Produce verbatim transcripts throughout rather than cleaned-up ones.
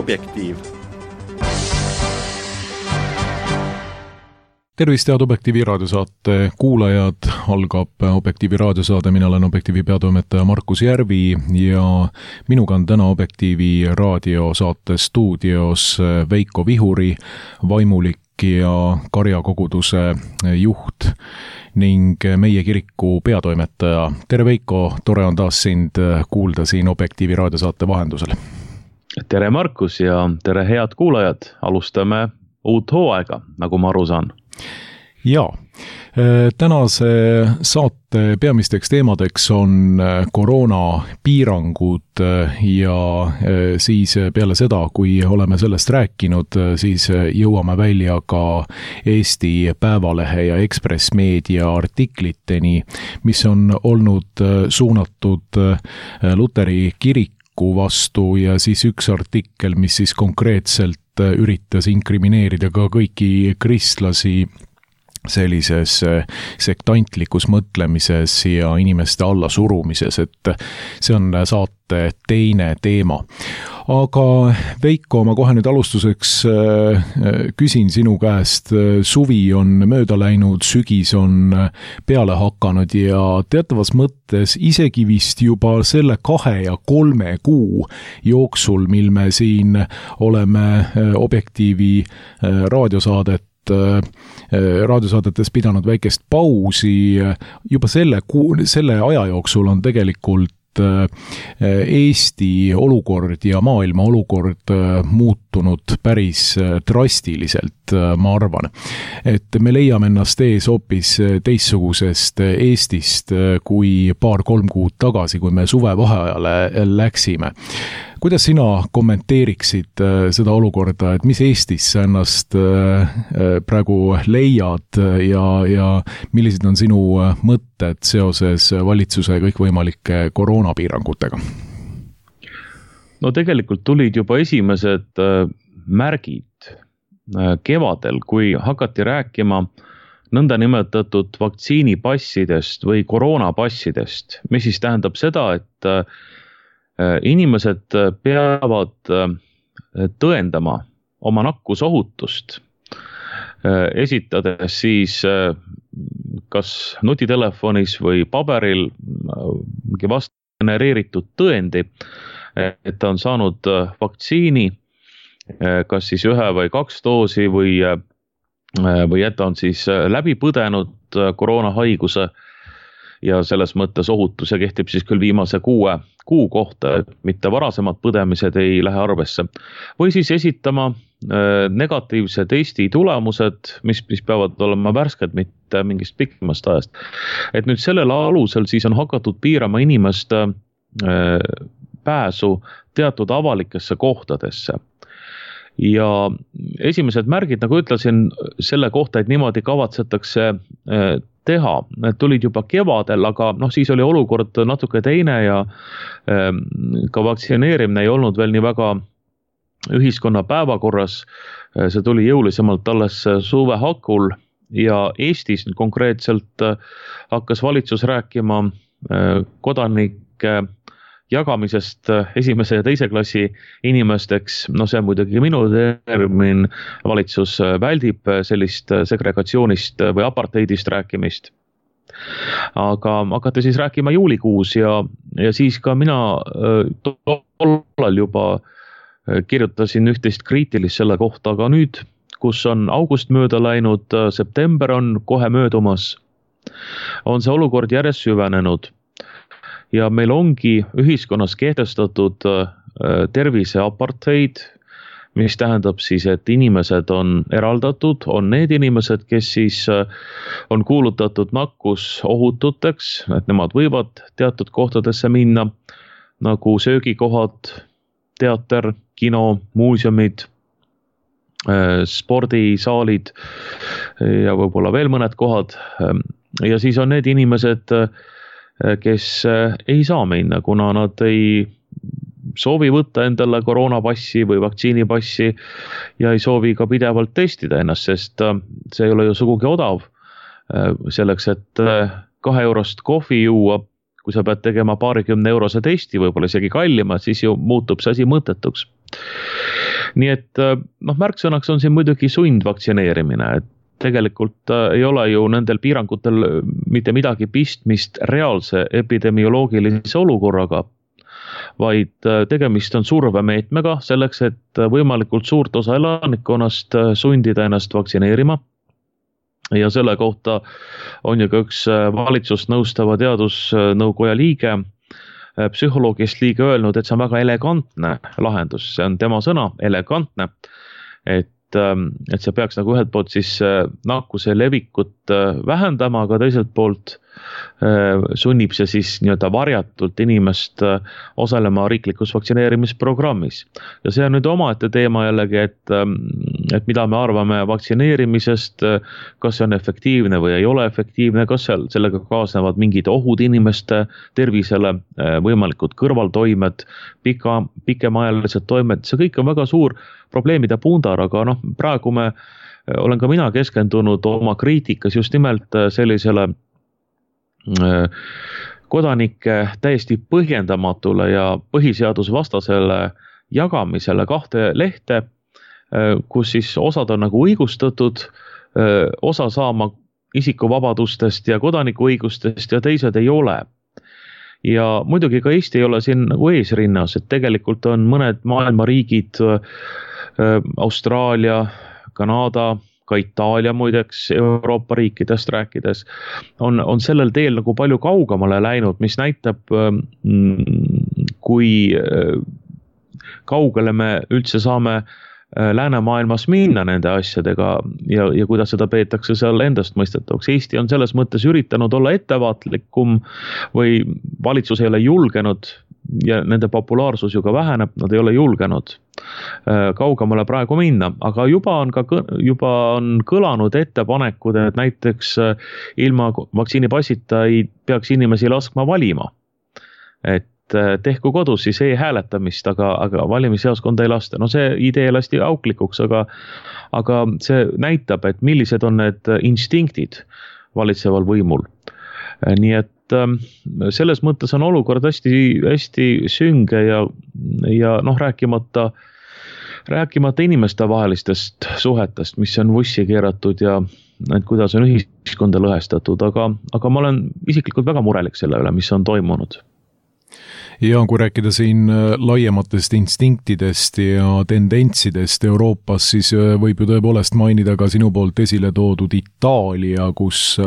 Objektiiv. Tervist, head Objektiivi raadiosaate kuulajad, algab Objektiivi raadiosaade, mina olen Objektiivi peatoimetaja Markus Järvi ja minuga on täna Objektiivi raadiosaate stuudios Veiko Vihuri, vaimulik ja karjakoguduse juht ning meie kiriku peatoimetaja. Tere Veiko, tore on taas sind kuulda siin Objektiivi raadiosaate vahendusel. Tere Markus ja tere head kuulajad, alustame uut hooaega, nagu ma aru saan. Jaa, tänase saate peamisteks teemadeks on koroonapiirangud ja siis peale seda, kui oleme sellest rääkinud, siis jõuame välja ka Eesti Päevalehe ja Ekspress Meedia artikliteni, mis on olnud suunatud Luteri kiriku vastu ja siis üks artikkel, mis siis konkreetselt üritas inkrimineerida ka kõiki kristlasi sellises sektantlikus mõtlemises ja inimeste allasurumises, et see on saate teine teema. Aga Veiko, ma kohe nüüd alustuseks küsin sinu käest, suvi on mööda läinud, sügis on peale hakanud ja teatavas mõttes isegi vist juba selle kahe ja kolme kuu jooksul, mil me siin oleme Objektiivi raadiosaadet raadiosaadetes pidanud väikest pausi, juba selle, selle aja jooksul on tegelikult Eesti olukord ja maailma olukord muutunud päris drastiliselt, ma arvan. Et me leiame ennast ees hoopis teistsugusest Eestist kui paar-kolm kuud tagasi, kui me suvevaheajale läksime. Kuidas sina kommenteeriksid seda olukorda, et mis Eestis sa ennast praegu leiad ja, ja millised on sinu mõtted seoses valitsuse kõikvõimalike koroonapiirangutega? No tegelikult tulid juba esimesed märgid kevadel, kui hakati rääkima nõnda nimetatud vaktsiinipassidest või koroonapassidest, mis siis tähendab seda, et inimesed peavad tõendama oma nakkusohutust, esitades siis kas nutitelefonis või paberil vast genereeritud tõendi, et ta on saanud vaktsiini, kas siis ühe või kaks doosi või, või et ta on siis läbi põdenud koroonahaiguse ja selles mõttes ohutus ja kehtib siis küll viimase kuue kuu kohta, et mitte varasemad põdemised ei lähe arvesse. Või siis esitama negatiivse testi tulemused, mis, mis peavad olema värsked, mitte mingist pikemast ajast. Et nüüd sellel alusel siis on hakatud piirama inimeste pääsu teatud avalikesse kohtadesse. Ja esimesed märgid, nagu ütlesin, selle kohta, et niimoodi kavatsetakse teha, need tulid juba kevadel, aga noh, siis oli olukord natuke teine ja ka vaktsineerimine ei olnud veel nii väga ühiskonna päevakorras. See tuli jõulisemalt alles suve hakul ja Eestis konkreetselt hakkas valitsus rääkima kodanike jagamisest esimese ja teise klassi inimesteks. No see on muidugi minu termin, valitsus väldib sellist segregatsioonist või apartheidist rääkimist. Aga hakati siis rääkima juulikuus ja, ja siis ka mina tollal juba kirjutasin üht-teist kriitilist selle kohta, aga nüüd, kus on august mööda läinud, september on kohe möödumas, on see olukord järjest süvenenud. Ja meil ongi ühiskonnas kehtestatud tervise apartheid, mis tähendab siis, et inimesed on eraldatud, on need inimesed, kes siis on kuulutatud nakkus ohututeks, et nemad võivad teatud kohtadesse minna, nagu söögikohad, teater, kino, muuseumid, spordisaalid ja võib-olla veel mõned kohad. Ja siis on need inimesed, kes ei saa minna, kuna nad ei soovi võtta endale koroonapassi või vaktsiinipassi ja ei soovi ka pidevalt testida ennast, sest see ei ole ju sugugi odav selleks, et kahe eurost kohvi juua, kui sa pead tegema paarikümne eurose testi, võib-olla isegi kallima, siis ju muutub see asi mõttetuks. nii et noh, märksõnaks on siin muidugi sundvaktsineerimine, et tegelikult ei ole ju nendel piirangutel mitte midagi pistmist reaalse epidemioloogilise olukorraga, vaid tegemist on survemeetmega selleks, et võimalikult suurt osa elanikkonnast sundida ennast vaktsineerima. Ja selle kohta on ju ka üks valitsust nõustava teadusnõukoja liige, psühholoogist liige öelnud, et see on väga elegantne lahendus, see on tema sõna, elegantne, et, et see peaks nagu ühelt poolt siis nakkuse levikut vähendama, aga teiselt poolt sunnib see siis nii-öelda varjatult inimest osalema riiklikus vaktsineerimisprogrammis. Ja see on nüüd omaette teema jällegi, et, et mida me arvame vaktsineerimisest, kas see on efektiivne või ei ole efektiivne, kas seal sellega kaasnevad mingid ohud inimeste tervisele, võimalikud kõrvaltoimed, pika, pikemaajalised toimed, see kõik on väga suur probleemide pundar, aga noh, praegu me olen ka mina keskendunud oma kriitikas just nimelt sellisele kodanike täiesti põhjendamatule ja põhiseadusvastasele jagamisele kahte lehte, kus siis osad on nagu õigustatud, osa saama isikuvabadustest ja kodanikuõigustest ja teised ei ole. Ja muidugi ka Eesti ei ole siin nagu eesrinnas, et tegelikult on mõned maailma riigid, Austraalia, Kanada, ka Itaalia muideks Euroopa riikidest rääkides, on, on sellel teel nagu palju kaugemale läinud, mis näitab, kui kaugele me üldse saame läänemaailmas minna nende asjadega ja, ja kuidas seda peetakse seal endast mõistetavaks. Eesti on selles mõttes üritanud olla ettevaatlikum või valitsus ei ole julgenud ja nende populaarsus ju ka väheneb, nad ei ole julgenud kaugemale praegu minna, aga juba on ka juba on kõlanud ettepanekud, et näiteks ilma vaktsiinipassita ei peaks inimesi laskma valima. Et tehku kodus siis e-hääletamist, aga, aga valimisjaoskonda ei lasta. No see idee lasti auklikuks, aga, aga see näitab, et millised on need instinktid valitseval võimul. Nii et selles mõttes on olukord hästi, hästi sünge ja, ja noh, rääkimata, rääkimata inimeste vahelistest suhetest, mis on vussi keeratud ja et kuidas on ühiskonda lõhestatud, aga, aga ma olen isiklikult väga murelik selle üle, mis on toimunud. Ja kui rääkida siin laiematest instinktidest ja tendentsidest Euroopas, siis võib ju tõepoolest mainida ka sinu poolt esile toodud Itaalia, kus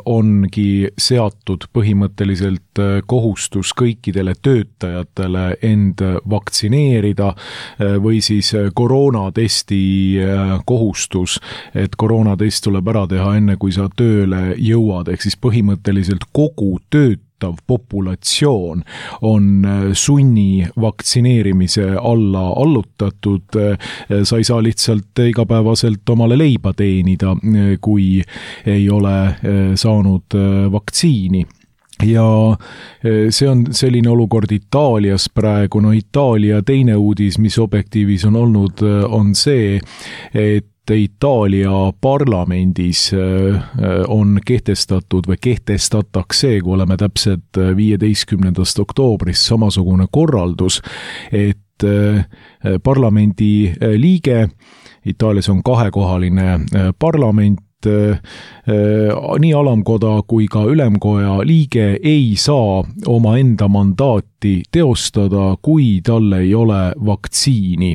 ongi seatud põhimõtteliselt kohustus kõikidele töötajatele end vaktsineerida või siis koroonatesti kohustus, et koroonatest tuleb ära teha enne, kui sa tööle jõuad, ehk siis põhimõtteliselt kogu tööt populatsioon on sunni vaktsineerimise alla allutatud, sa ei saa lihtsalt igapäevaselt omale leiba teenida, kui ei ole saanud vaktsiini. Ja see on selline olukord Itaalias praegu, no Itaalia teine uudis, mis Objektiivis on olnud, on see, et Itaalia parlamendis on kehtestatud või kehtestatakse, kui oleme täpselt viieteistkümnendast oktoobrist samasugune korraldus, et parlamendi liige, Itaalias on kahekohaline parlament, nii alamkoda kui ka ülemkoja liige ei saa oma enda mandaati teostada, kui talle ei ole vaktsiini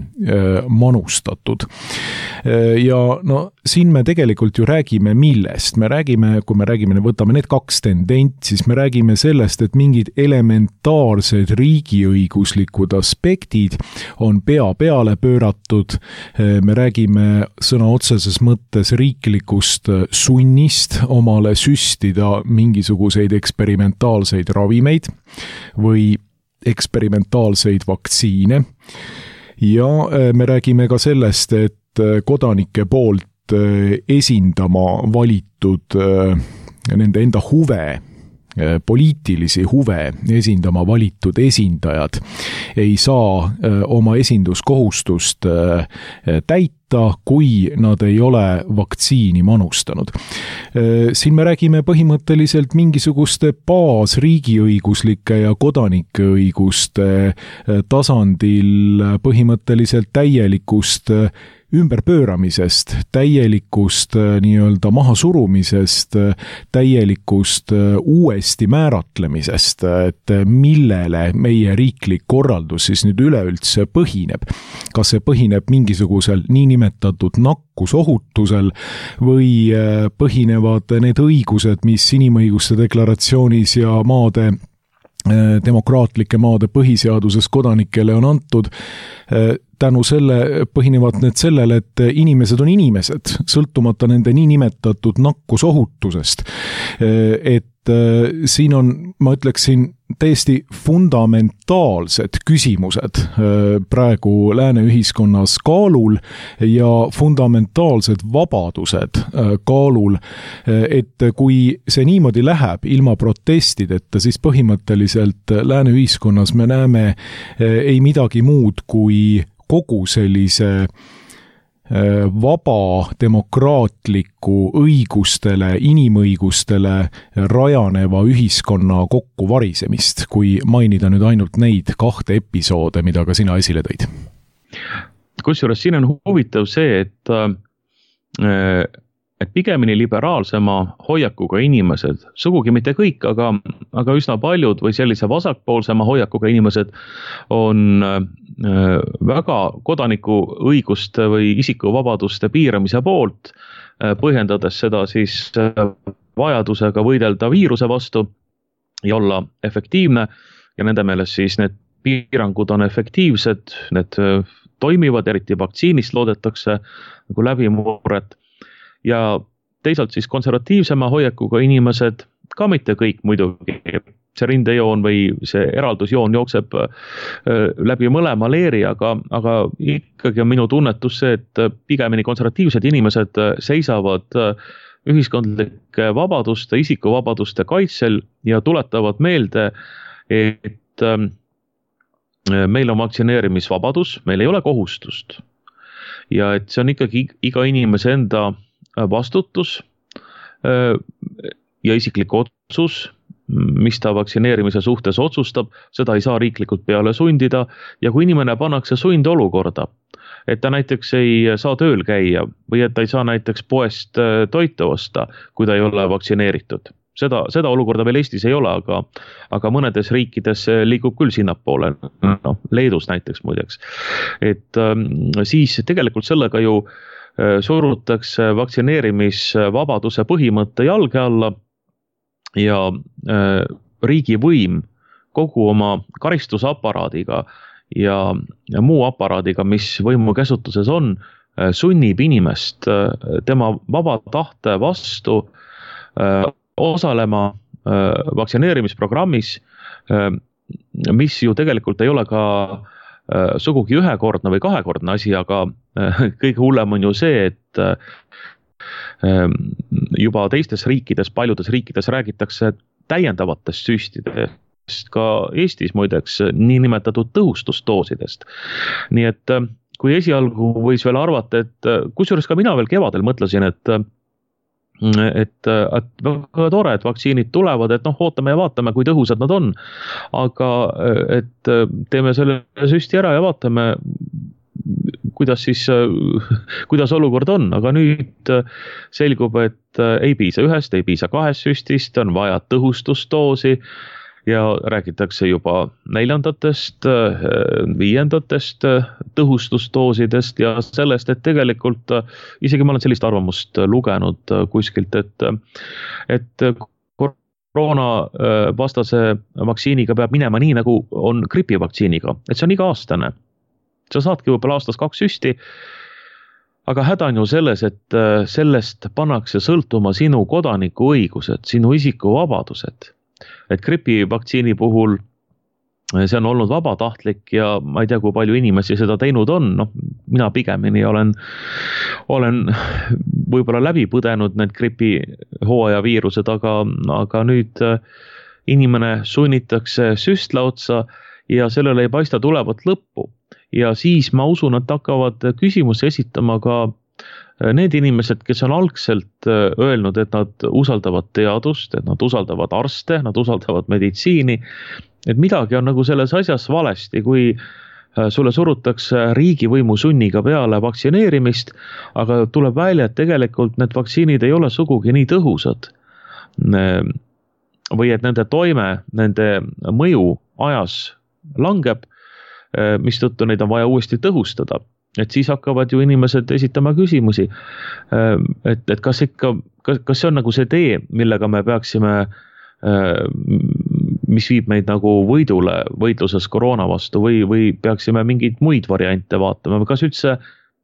manustatud. Ja no siin me tegelikult ju räägime millest. Me räägime, kui me räägime, võtame need kaks tendent, siis me räägime sellest, et mingid elementaarsed riigiõiguslikud aspektid on pea peale pööratud. Me räägime sõna otseses mõttes riiklikust sunnist omale süstida mingisuguseid eksperimentaalseid ravimeid või eksperimentaalseid vaktsiine. Ja me räägime ka sellest, et kodanike poolt esindama valitud nende enda huve poliitilisi huve esindama valitud esindajad ei saa oma esinduskohustust täita, kui nad ei ole vaktsiini manustanud. Siin me räägime põhimõtteliselt mingisuguste baasriigiõiguslike ja kodanike õiguste tasandil põhimõtteliselt täielikust ümberpööramisest, täielikust nii-öelda mahasurumisest, täielikust uuesti määratlemisest, et millele meie riiklik korraldus siis nüüd üleüldse põhineb. Kas see põhineb mingisugusel niinimetatud nakkusohutusel või põhinevad need õigused, mis inimõiguste deklaratsioonis ja maade demokraatlike maade põhiseaduses kodanikele on antud, tänu selle põhinevad need sellele, et inimesed on inimesed, sõltumata nende niinimetatud nakkusohutusest. Et siin on, ma ütleksin, täiesti fundamentaalsed küsimused praegu lääne ühiskonnas kaalul ja fundamentaalsed vabadused kaalul, et kui see niimoodi läheb ilma protestideta, siis põhimõtteliselt lääne ühiskonnas me näeme ei midagi muud kui kogu sellise vaba, demokraatliku, õigustele, inimõigustele rajaneva ühiskonna kokkuvarisemist, kui mainida nüüd ainult neid kahte episoode, mida ka sina esile tõid. Kusjuures siin on huvitav see, et, et pigemini liberaalsema hoiakuga inimesed, sugugi mitte kõik, aga, aga üsna paljud või sellise vasakpoolsema hoiakuga inimesed on väga kodaniku õiguste või isikuvabaduste piiramise poolt, põhjendades seda siis vajadusega võidelda viiruse vastu ja olla efektiivne ja nende meelest siis need piirangud on efektiivsed, need toimivad, eriti vaktsiinist loodetakse nagu läbimurret ja teisalt siis konservatiivsema hoiakuga inimesed, ka mitte kõik muidugi, see rindejoon või see eraldusjoon jookseb läbi mõlema leeri, aga, aga ikkagi on minu tunnetus see, et pigemini konservatiivsed inimesed seisavad ühiskondlike vabaduste, isikuvabaduste kaitsel ja tuletavad meelde, et meil on vaktsineerimisvabadus, meil ei ole kohustust ja et see on ikkagi iga inimese enda vastutus ja isiklik otsus, mis ta vaktsineerimise suhtes otsustab, seda ei saa riiklikult peale sundida ja kui inimene pannakse sundolukorda, et ta näiteks ei saa tööl käia või et ta ei saa näiteks poest toitu osta, kui ta ei ole vaktsineeritud. Seda, seda olukorda veel Eestis ei ole, aga, aga mõnedes riikides liigub küll sinnapoole, no, Leedus näiteks muideks. Et siis tegelikult sellega ju surutakse vaktsineerimisvabaduse põhimõtte jalge alla ja riigi võim kogu oma karistusaparaadiga ja, ja muu aparaadiga, mis võimu käsutuses on, sunnib inimest tema vaba tahte vastu osalema vaktsineerimisprogrammis, mis ju tegelikult ei ole ka sugugi ühekordne või kahekordne asi, aga kõige hullem on ju see, et juba teistes riikides, paljudes riikides räägitakse täiendavatest süstidest, ka Eestis muideks niinimetatud tõhustusdoosidest. Nii et kui esialgu võis veel arvata, et kusjuures ka mina veel kevadel mõtlesin, et et, et väga tore, et vaktsiinid tulevad, et noh, ootame ja vaatame, kui tõhusad nad on, aga et teeme selle süsti ära ja vaatame, kuidas siis, kuidas olukord on, aga nüüd selgub, et ei piisa ühest, ei piisa kahest süstist, on vaja tõhustusdoosi ja räägitakse juba neljandatest, viiendatest tõhustusdoosidest ja sellest, et tegelikult isegi ma olen sellist arvamust lugenud kuskilt, et, et koroona vastase vaktsiiniga peab minema nii, nagu on gripivaktsiiniga, et see on iga-aastane. Sa saadki võib-olla aastas kaks süsti, aga häda on ju selles, et sellest pannakse sõltuma sinu kodaniku õigused, sinu isikuvabadused. Et gripivaktsiini puhul see on olnud vabatahtlik ja ma ei tea, kui palju inimesi seda teinud on, noh, mina pigemini olen, olen võib-olla läbi põdenud need gripi hooaja viirused, aga, aga nüüd inimene sunnitakse süstla otsa ja sellele ei paista tulevat lõppu. Ja siis ma usun, et hakkavad küsimusi esitama ka need inimesed, kes on algselt öelnud, et nad usaldavad teadust, et nad usaldavad arste, nad usaldavad meditsiini, et midagi on nagu selles asjas valesti, kui sulle surutakse riigivõimu sunniga peale vaktsineerimist, aga tuleb välja, et tegelikult need vaktsiinid ei ole sugugi nii tõhusad. Või et nende toime, nende mõju ajas langeb, mistõttu neid on vaja uuesti tõhustada. Et siis hakkavad ju inimesed esitama küsimusi, et, et kas ikka, kas, kas see on nagu see tee, millega me peaksime, mis viib meid nagu võidule võitluses koroona vastu või, või peaksime mingeid muid variante vaatama, kas üldse,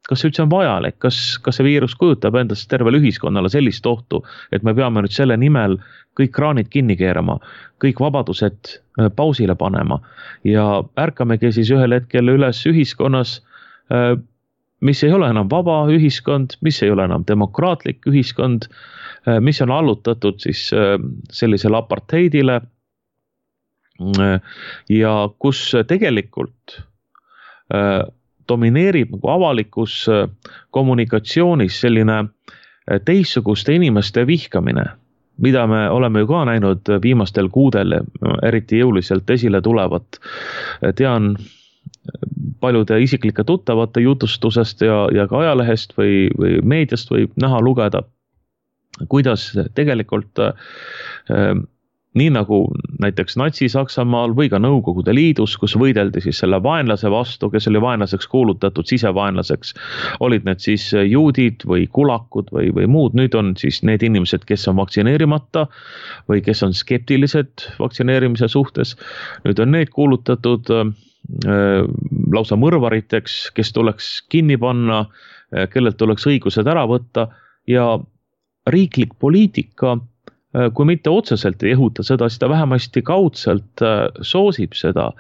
kas üldse on vajalik, kas, kas see viirus kujutab endast tervele ühiskonnale sellist ohtu, et me peame nüüd selle nimel kõik kraanid kinni keerama, kõik vabadused pausile panema ja ärkamegi siis ühel hetkel üles ühiskonnas, mis ei ole enam vaba ühiskond, mis ei ole enam demokraatlik ühiskond, mis on allutatud siis sellisele apartheidile ja kus tegelikult domineerib nagu avalikus kommunikatsioonis selline teistsuguste inimeste vihkamine, mida me oleme ju ka näinud viimastel kuudel, eriti jõuliselt esile tulevat. Tean paljude isiklike tuttavate jutustusest ja, ja ka ajalehest või, või meediast võib näha lugeda, kuidas tegelikult äh, nii nagu näiteks Natsi-Saksamaal või ka Nõukogude Liidus, kus võideldi siis selle vaenlase vastu, kes oli vaenlaseks kuulutatud, sisevaenlaseks, olid need siis juudid või kulakud või, või muud. Nüüd on siis need inimesed, kes on vaktsineerimata või kes on skeptilised vaktsineerimise suhtes. Nüüd on need kuulutatud äh, lausa mõrvariteks, kes tuleks kinni panna, kellelt tuleks õigused ära võtta ja riiklik poliitika, kui mitte otseselt ei ehuta seda, siis ta vähemasti kaudselt soosib seda.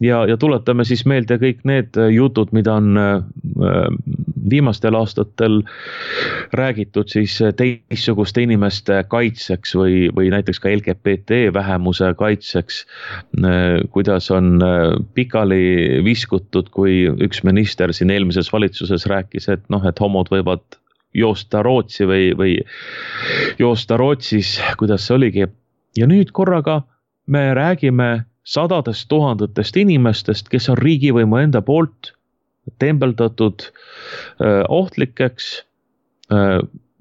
Ja, ja tuletame siis meelde kõik need jutud, mida on viimastel aastatel räägitud siis teistsuguste inimeste kaitseks või, või näiteks ka L G B T vähemuse kaitseks, kuidas on pikali viskutud, kui üks minister siin eelmises valitsuses rääkis, et noh, et homod võivad joosta Rootsi või, või joosta Rootsis, kuidas see oligi. Ja nüüd korraga me räägime sadadest tuhandetest inimestest, kes on riigivõimu enda poolt tembeldatud öö, ohtlikeks, öö,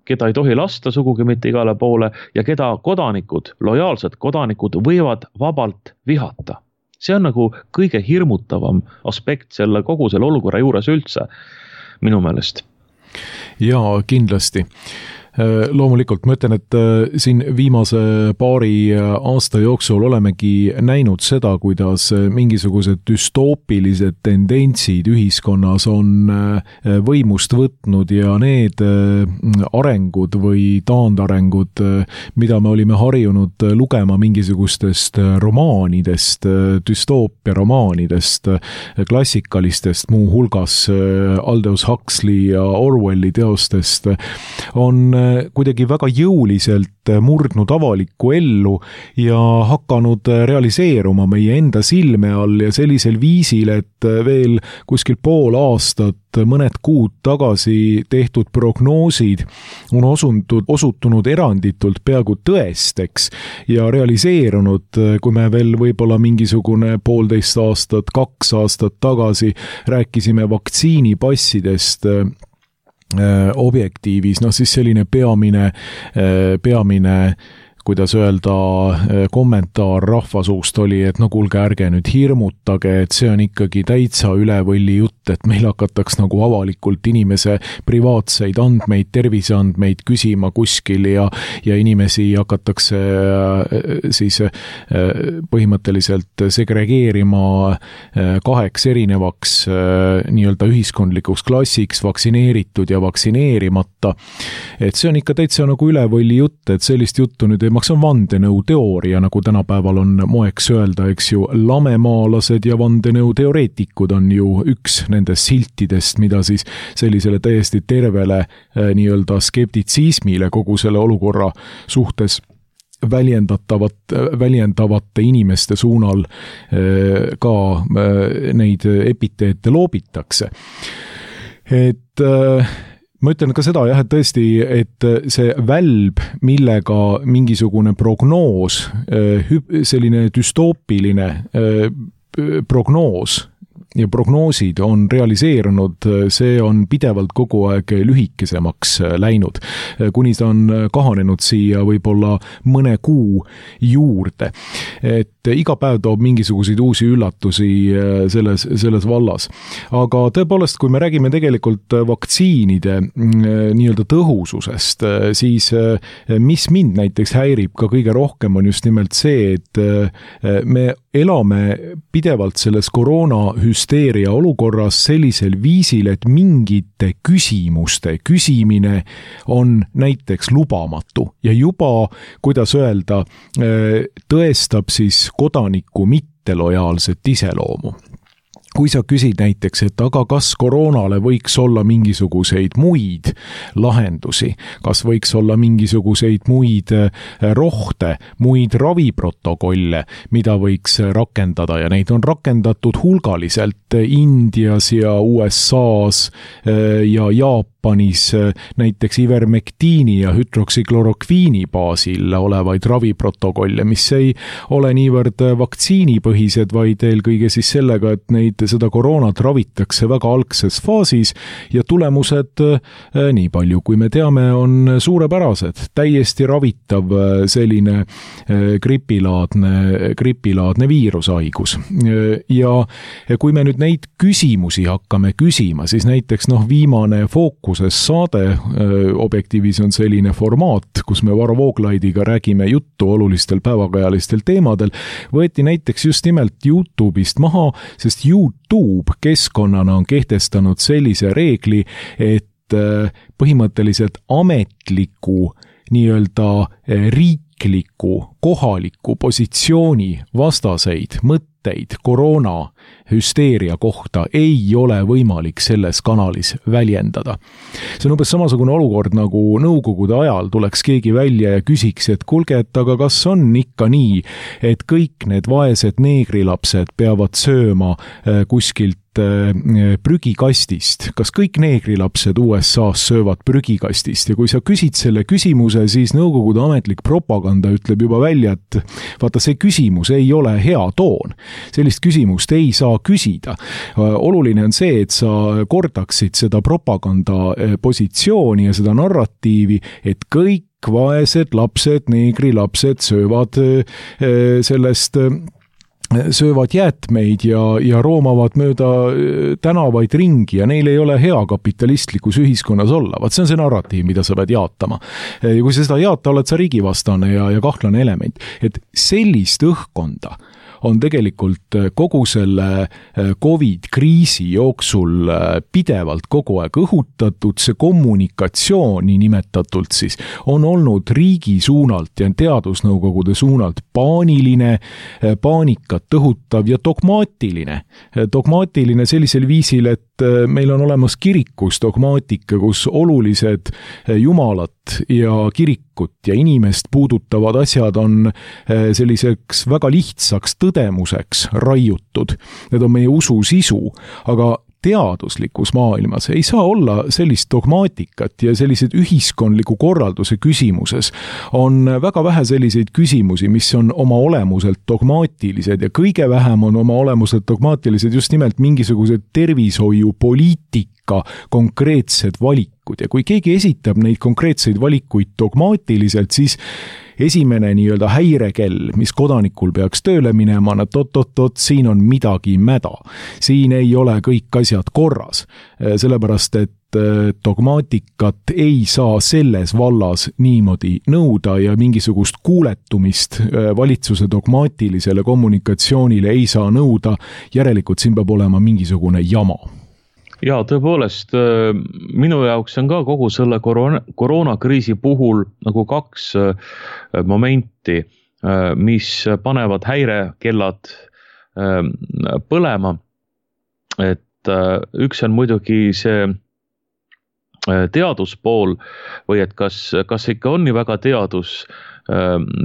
keda ei tohi lasta sugugi mitte igale poole ja keda kodanikud, lojaalsed kodanikud võivad vabalt vihata. See on nagu kõige hirmutavam aspekt selle kogu selle olukorra juures üldse, minu meelest. Jaa, kindlasti. Loomulikult ma ütlen, et siin viimase paari aasta jooksul olemegi näinud seda, kuidas mingisugused düstoopilised tendentsid ühiskonnas on võimust võtnud ja need arengud või taandarengud, mida me olime harjunud lugema mingisugustest romaanidest, düstoopia romaanidest, klassikalistest, muu hulgas Aldous Huxley ja Orwelli teostest, on kuidagi väga jõuliselt murdnud avalikku ellu ja hakanud realiseeruma meie enda silme all ja sellisel viisil, et veel kuskil pool aastat, mõned kuud tagasi tehtud prognoosid on osutud, osutunud eranditult peaaegu tõesteks ja realiseerunud, kui me veel võib-olla mingisugune poolteist aastat, kaks aastat tagasi rääkisime vaktsiinipassidest objektiivis, noh siis selline peamine, peamine kuidas öelda, kommentaar rahvasuust oli, et no kuulge, ärge nüüd hirmutage, et see on ikkagi täitsa üle võlli jutt, et meil hakataks nagu avalikult inimese privaatseid andmeid, terviseandmeid küsima kuskil ja, ja inimesi hakatakse siis põhimõtteliselt segregeerima kaheks erinevaks nii-öelda ühiskondlikuks klassiks, vaktsineeritud ja vaktsineerimata. Et see on ikka täitsa nagu üle võlli jutt, et sellist juttu nüüd ei see on vandenõu teooria, nagu tänapäeval on moeks öelda, eks ju, lamemaalased ja vandenõu teoreetikud on ju üks nendest siltidest, mida siis sellisele täiesti tervele nii-öelda skeptitsismile kogu selle olukorra suhtes väljendatavat, väljendavate inimeste suunal ka neid epiteete loobitakse. Et ma ütlen ka seda jah, et tõesti, et see välb, millega mingisugune prognoos, selline düstoopiline prognoos ja prognoosid on realiseerunud, see on pidevalt kogu aeg lühikesemaks läinud, kuni ta on kahanenud siia võib-olla mõne kuu juurde. Et iga päev toob mingisuguseid uusi üllatusi selles, selles vallas. Aga tõepoolest, kui me räägime tegelikult vaktsiinide nii-öelda tõhususest, siis mis mind näiteks häirib ka kõige rohkem on just nimelt see, et me elame pidevalt selles koroonahüsteeria olukorras sellisel viisil, et mingite küsimuste küsimine on näiteks lubamatu ja juba, kuidas öelda, tõestab siis kodaniku mittelojaalset iseloomu. Kui sa küsid näiteks, et aga kas koroonale võiks olla mingisuguseid muid lahendusi, kas võiks olla mingisuguseid muid rohte, muid raviprotokolle, mida võiks rakendada ja neid on rakendatud hulgaliselt Indias ja U S A-s ja Jaapanis näiteks ivermektiini ja hüdroksiklorokviini baasil olevaid raviprotokolle, mis ei ole niivõrd vaktsiinipõhised, vaid eelkõige siis sellega, et neid seda koroonat ravitakse väga algses faasis ja tulemused, nii palju kui me teame, on suurepärased. Täiesti ravitav selline gripilaadne, gripilaadne viirushaigus. Ja kui me nüüd neid küsimusi hakkame küsima, siis näiteks noh, viimane Fookuses saade, Objektiivis on selline formaat, kus me Varro Vooglaidiga räägime juttu olulistel päevakajalistel teemadel, võeti näiteks just nimelt YouTube'ist maha, sest YouTube keskkonnana on kehtestanud sellise reegli, et põhimõtteliselt ametliku nii-öelda riikliku, kohaliku positsiooni vastaseid mõtteid koroona hüsteeria kohta ei ole võimalik selles kanalis väljendada. See on umbes samasugune olukord, nagu nõukogude ajal tuleks keegi välja ja küsiks, et kuulge, et aga kas on ikka nii, et kõik need vaesed neegrilapsed peavad sööma kuskilt prügikastist. Kas kõik neegrilapsed U S A-s söövad prügikastist? Ja kui sa küsid selle küsimuse, siis nõukogude ametlik propaganda ütleb juba välja, et vaata, see küsimus ei ole hea toon. Sellist küsimust ei saa küsida. Oluline on see, et sa kordaksid seda propaganda positsiooni ja seda narratiivi, et kõik vaesed lapsed, neegrilapsed söövad sellest söövad jäätmeid ja, ja roomavad mööda tänavaid ringi ja neil ei ole hea kapitalistlikus ühiskonnas olla. Vaat see on see narratiiv, mida sa pead jaatama. Ja kui sa seda jaata, oled sa riigivastane ja, ja kahtlane element. Et sellist õhkkonda on tegelikult kogu selle COVID-kriisi jooksul pidevalt kogu aeg õhutatud, see kommunikatsioon, nii nimetatult siis, on olnud riigi suunalt ja teadusnõukogude suunalt paaniline, paanikat õhutav ja dogmaatiline. Dogmaatiline sellisel viisil, et meil on olemas kirikus dogmaatika, kus olulised jumalat ja kirikut ja inimest puudutavad asjad on selliseks väga lihtsaks tõdemuseks raiutud. Need on meie usu sisu, aga teaduslikus maailmas ei saa olla sellist dogmaatikat ja sellised ühiskondliku korralduse küsimuses on väga vähe selliseid küsimusi, mis on oma olemuselt dogmaatilised ja kõige vähem on oma olemuselt dogmaatilised just nimelt mingisugused tervishoiupoliitika konkreetsed valikud ja kui keegi esitab neid konkreetseid valikuid dogmaatiliselt, siis esimene nii-öelda häirekell, mis kodanikul peaks tööle minema, et oot-oot-oot, siin on midagi mäda. Siin ei ole kõik asjad korras, sellepärast et dogmaatikat ei saa selles vallas niimoodi nõuda ja mingisugust kuuletumist valitsuse dogmaatilisele kommunikatsioonile ei saa nõuda, järelikult siin peab olema mingisugune jama. Ja tõepoolest, minu jaoks on ka kogu selle koroona, koroonakriisi puhul nagu kaks momenti, mis panevad häirekellad põlema. Et üks on muidugi see teaduspool või et kas, kas ikka on nii väga teadus,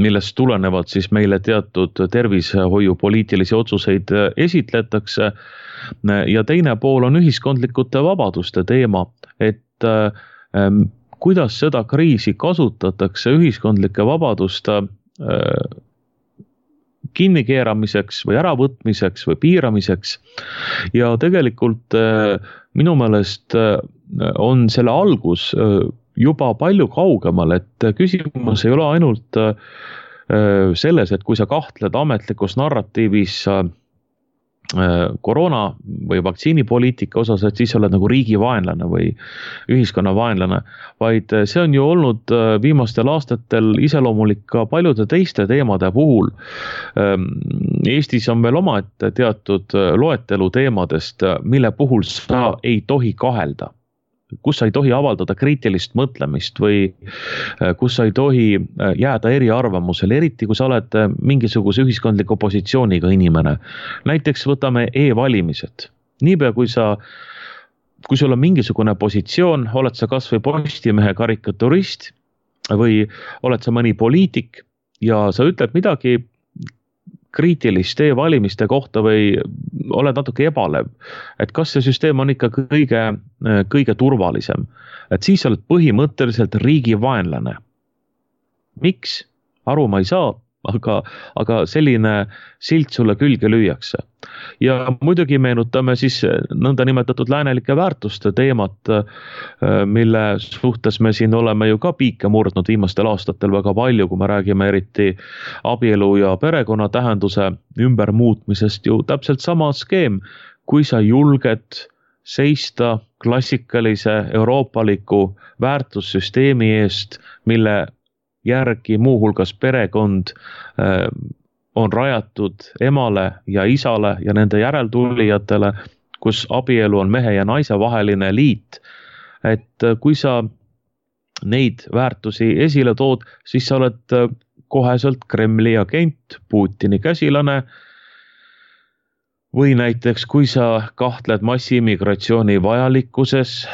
millest tulenevalt siis meile teatud tervishoiupoliitilisi otsuseid esitletakse. Ja teine pool on ühiskondlikute vabaduste teema, et kuidas seda kriisi kasutatakse ühiskondlike vabaduste kinnikeeramiseks või äravõtmiseks või piiramiseks. Ja tegelikult minu meelest on selle algus juba palju kaugemal, et küsimus ei ole ainult selles, et kui sa kahtled ametlikus narratiivis koroona või vaktsiinipoliitika osas, et siis oled nagu riigi vaenlane või ühiskonna vaenlane, vaid see on ju olnud viimastel aastatel iseloomulik ka paljude teiste teemade puhul. Eestis on veel omaette teatud loetelu teemadest, mille puhul sa ei tohi kahelda, kus sa ei tohi avaldada kriitilist mõtlemist või kus sa ei tohi jääda eriarvamusele, eriti kui sa oled mingisuguse ühiskondliku positsiooniga inimene. Näiteks võtame e-valimised. Niipea kui sa, kui sul on mingisugune positsioon, oled sa kas või Postimehe karikaturist või oled sa mõni poliitik ja sa ütled midagi kriitilist e-valimiste kohta või oled natuke ebalev, et kas see süsteem on ikka kõige, kõige turvalisem, et siis oled põhimõtteliselt riigi vaenlane. Miks? Aru ma ei saa, aga, aga selline silt sulle külge lüüakse. Ja muidugi meenutame siis nõnda nimetatud läänelike väärtuste teemat, mille suhtes me siin oleme ju ka piike murdnud viimastel aastatel väga palju, kui me räägime eriti abielu ja perekonna tähenduse ümbermuutmisest, ju täpselt sama skeem, kui sa julged seista klassikalise euroopaliku väärtussüsteemi eest, mille järgi muuhulgas perekond on rajatud emale ja isale ja nende järeltulijatele, kus abielu on mehe ja naise vaheline liit. Et kui sa neid väärtusi esile tood, siis sa oled koheselt Kremli agent, Putini käsilane. Või näiteks, kui sa kahtled massiimmigratsiooni vajalikkuses,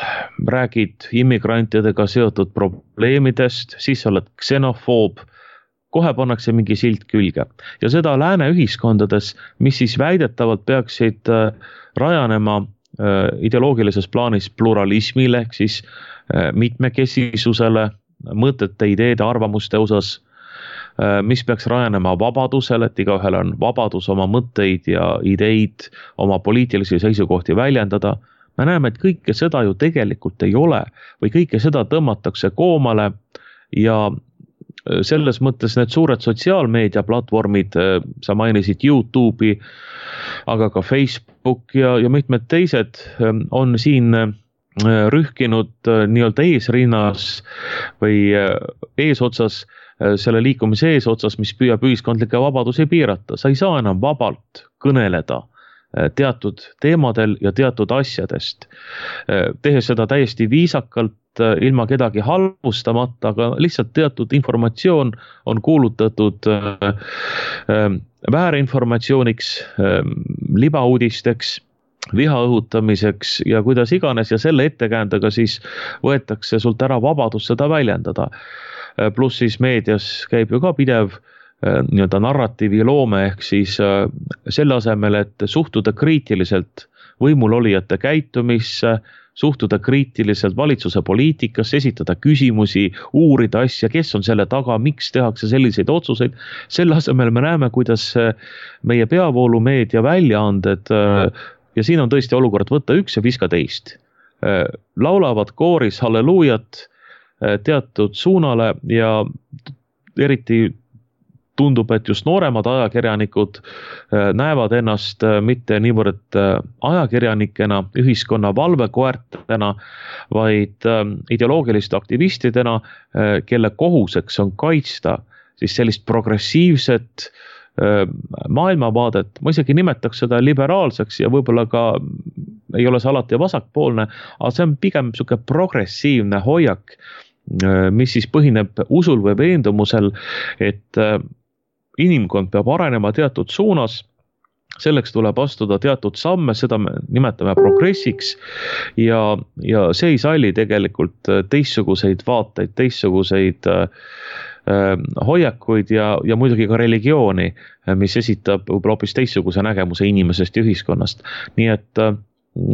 räägid immigrantidega seotud probleemidest, siis sa oled ksenofoob, kohe pannakse mingi silt külge. Ja seda lääne ühiskondades, mis siis väidetavalt peaksid rajanema ideoloogilises plaanis pluralismile, ehk siis mitmekesisusele, mõtete, ideede, arvamuste osas, mis peaks rajanema vabadusele, et igaühel on vabadus oma mõtteid ja ideid, oma poliitilisi seisukohti väljendada. Me näeme, et kõike seda ju tegelikult ei ole või kõike seda tõmmatakse koomale ja selles mõttes need suured sotsiaalmeedia platvormid, sa mainisid YouTube'i, aga ka Facebook ja, ja mitmed teised on siin rühkinud nii-öelda eesrinnas või eesotsas, selle liikumise eesotsas, mis püüab ühiskondlikke vabadusi piirata. Sa ei saa enam vabalt kõneleda teatud teemadel ja teatud asjadest. Tehes seda täiesti viisakalt, ilma kedagi halvustamata, aga lihtsalt teatud informatsioon on kuulutatud väärinformatsiooniks, libauudisteks, viha õhutamiseks ja kuidas iganes ja selle ettekäändega siis võetakse sult ära vabadus seda väljendada. Pluss siis meedias käib ju ka pidev nii-öelda narratiivi loome ehk siis selle asemel, et suhtuda kriitiliselt võimulolijate käitumisse, suhtuda kriitiliselt valitsuse poliitikasse, esitada küsimusi, uurida asja, kes on selle taga, miks tehakse selliseid otsuseid. Selle asemel me näeme, kuidas meie peavoolumeedia väljaanded ja siin on tõesti olukord võtta üks ja viska teist. Laulavad kooris halleluujat teatud suunale ja eriti tundub, et just nooremad ajakirjanikud näevad ennast mitte niivõrd ajakirjanikena, ühiskonna valvekoertena, vaid ideoloogiliste aktivistidena, kelle kohuseks on kaitsta siis sellist progressiivset maailmavaadet. Ma isegi nimetaks seda liberaalseks ja võib-olla ka ei ole see alati vasakpoolne, aga see on pigem suke progressiivne hoiak, mis siis põhineb usul või veendumusel, et inimkond peab arenema teatud suunas, selleks tuleb astuda teatud samme, seda me nimetame progressiks ja, ja see ei salli tegelikult teistsuguseid vaateid, teistsuguseid äh, hoiakuid ja, ja muidugi ka religiooni, mis esitab võib-olla hoopis teistsuguse nägemuse inimesest ja ühiskonnast. Nii et äh,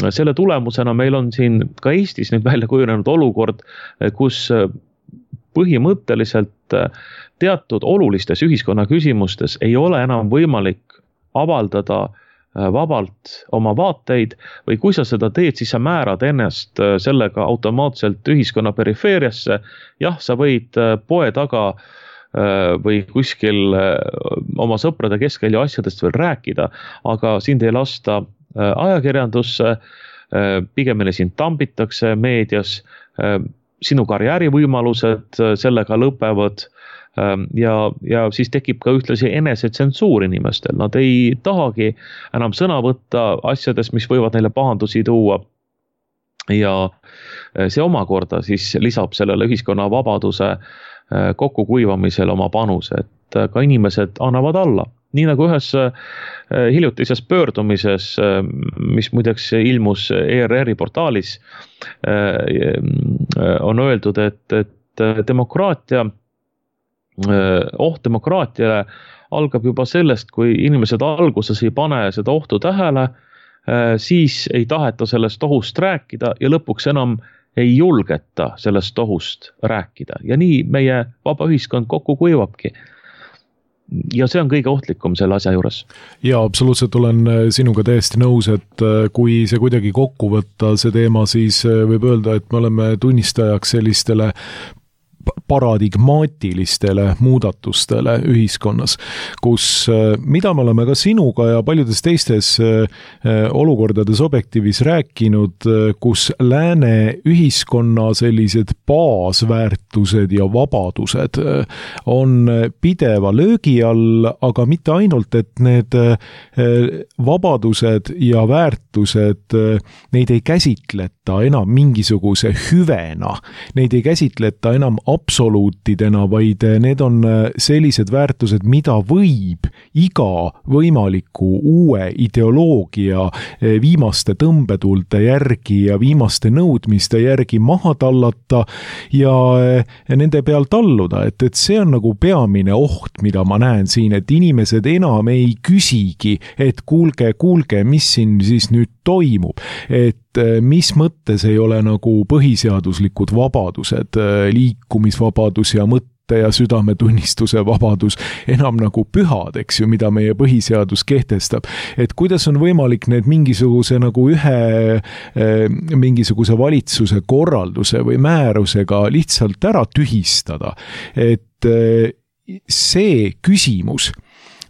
selle tulemusena meil on siin ka Eestis nüüd välja kujunenud olukord, kus põhimõtteliselt teatud olulistes ühiskonna küsimustes ei ole enam võimalik avaldada vabalt oma vaateid või kui sa seda teed, siis sa määrad ennast sellega automaatselt ühiskonna perifeeriasse. Jah, sa võid poe taga või kuskil oma sõprade keskel ja asjadest veel rääkida, aga sind ei lasta ajakirjandusse, pigemini sind tambitakse meedias, sinu karjäärivõimalused sellega lõpevad ja, ja siis tekib ka ühtlasi enesetsensuur inimestel. Nad ei tahagi enam sõna võtta asjades, mis võivad neile pahandusi tuua ja see omakorda siis lisab sellele ühiskonna vabaduse kokkukuivamisel oma panuse, et ka inimesed annavad alla. Nii nagu ühes hiljutises pöördumises, mis muideks ilmus E R R-i portaalis, on öeldud, et, et demokraatia, oht demokraatiale algab juba sellest, kui inimesed alguses ei pane seda ohtu tähele, siis ei taheta sellest ohust rääkida ja lõpuks enam ei julgeta sellest ohust rääkida. Ja nii meie vaba ühiskond kokku kuivabki. Ja see on kõige ohtlikum selle asja juures. Ja absoluutselt olen sinuga täiesti nõus, et kui see kuidagi kokku võtta see teema, siis võib öelda, et me oleme tunnistajaks sellistele paradigmaatilistele muudatustele ühiskonnas, kus, mida me oleme ka sinuga ja paljudes teistes olukordades objektiivis rääkinud, kus lääne ühiskonna sellised baasväärtused ja vabadused on pideva löögi all, aga mitte ainult, et need vabadused ja väärtused, neid ei käsitleta enam mingisuguse hüvena, neid ei käsitleta enam absoluutidena, vaid need on sellised väärtused, mida võib iga võimaliku uue ideoloogia viimaste tõmbetuulte järgi ja viimaste nõudmiste järgi maha tallata ja nende peal talluda, et, et see on nagu peamine oht, mida ma näen siin, et inimesed enam ei küsigi, et kuulge, kuulge, mis siin siis nüüd toimub, et mis mõttes ei ole nagu põhiseaduslikud vabadused, liikumisvabadus ja mõtte ja südametunnistuse vabadus enam nagu pühad, eks ju, mida meie põhiseadus kehtestab. Et kuidas on võimalik need mingisuguse nagu ühe mingisuguse valitsuse korralduse või määrusega lihtsalt ära tühistada, et see küsimus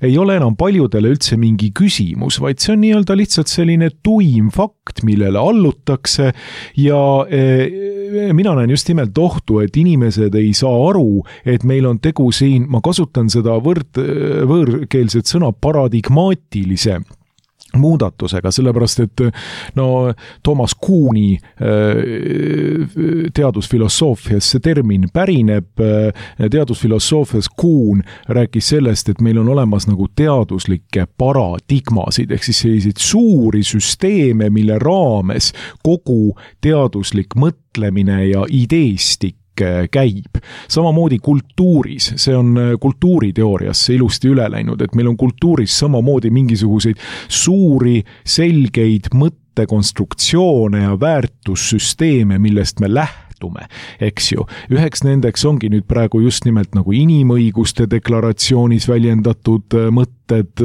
ei ole enam paljudele üldse mingi küsimus, vaid see on nii-öelda lihtsalt selline tuim fakt, millele allutakse ja e, mina näen just nimelt ohtu, et inimesed ei saa aru, et meil on tegu siin, ma kasutan seda võrd, võõrkeelset sõna paradigmaatilise muudatusega, sellepärast et no Thomas Kuhni teadusfilosoofias see termin pärineb, teadusfilosoofias Kuhn rääkis sellest, et meil on olemas nagu teaduslikke paradigmasid, ehk siis selliseid suuri süsteeme, mille raames kogu teaduslik mõtlemine ja ideestik käib. Samamoodi kultuuris, see on kultuuriteooriasse ilusti üle läinud, et meil on kultuuris samamoodi mingisuguseid suuri, selgeid mõttekonstruktsioone ja väärtussüsteeme, millest me lähtume. Eks ju. Üheks nendeks ongi nüüd praegu just nimelt nagu inimõiguste deklaratsioonis väljendatud mõtted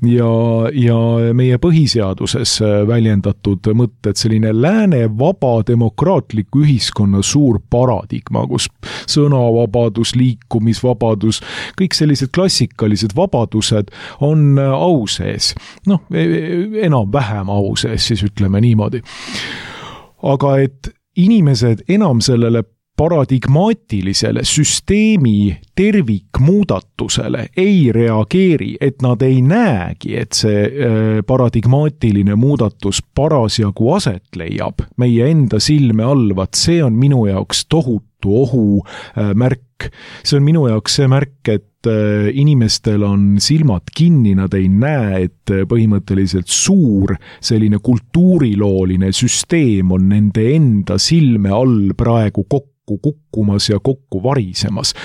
ja, ja meie põhiseaduses väljendatud mõtted, selline lääne vaba demokraatliku ühiskonna suur paradigma, kus sõnavabadus, liikumisvabadus, kõik sellised klassikalised vabadused on au sees. Noh, enam-vähem au sees, siis ütleme niimoodi. Aga et inimesed enam sellele paradigmaatilisele süsteemi tervikmuudatusele ei reageeri, et nad ei näegi, et see paradigmaatiline muudatus parasjagu aset leiab meie enda silme all, vaat see on minu jaoks tohutu tohutu ohu märk. See on minu jaoks see märk, et inimestel on silmad kinni, nad ei näe, et põhimõtteliselt suur selline kultuurilooline süsteem on nende enda silme all praegu kokku kukkumas ja kokku varisemas.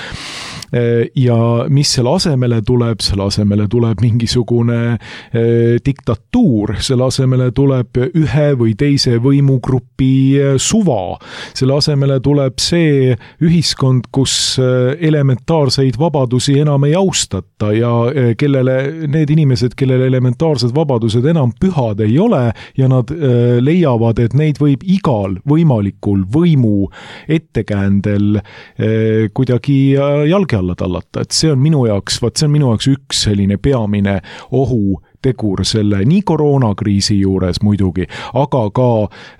Ja mis selle asemele tuleb? Selle asemele tuleb mingisugune eh, diktatuur, selle asemele tuleb ühe või teise võimugrupi suva, selle asemele tuleb see ühiskond, kus elementaarseid vabadusi enam ei austata ja kellele, need inimesed, kellele elementaarsed vabadused enam pühad ei ole ja nad eh, leiavad, et neid võib igal võimalikul võimu ettekäändel eh, kuidagi jalge alla tallata, et see on minu jaoks, vaat see on minu jaoks üks selline peamine ohutegur selle nii koroonakriisi juures muidugi, aga ka,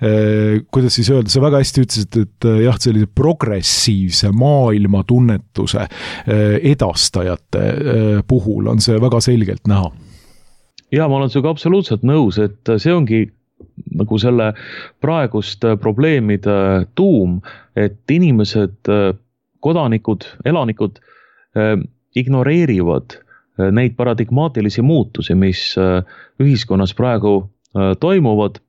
eh, kuidas siis öelda, sa väga hästi ütlesid, et jah, sellise progressiivse maailmatunnetuse eh, edastajate eh, puhul on see väga selgelt näha. Ja ma olen sinuga absoluutselt nõus, et see ongi nagu selle praegust probleemide tuum, et inimesed, kodanikud, elanikud ignoreerivad neid paradigmaatilisi muutusi, mis ühiskonnas praegu toimuvad.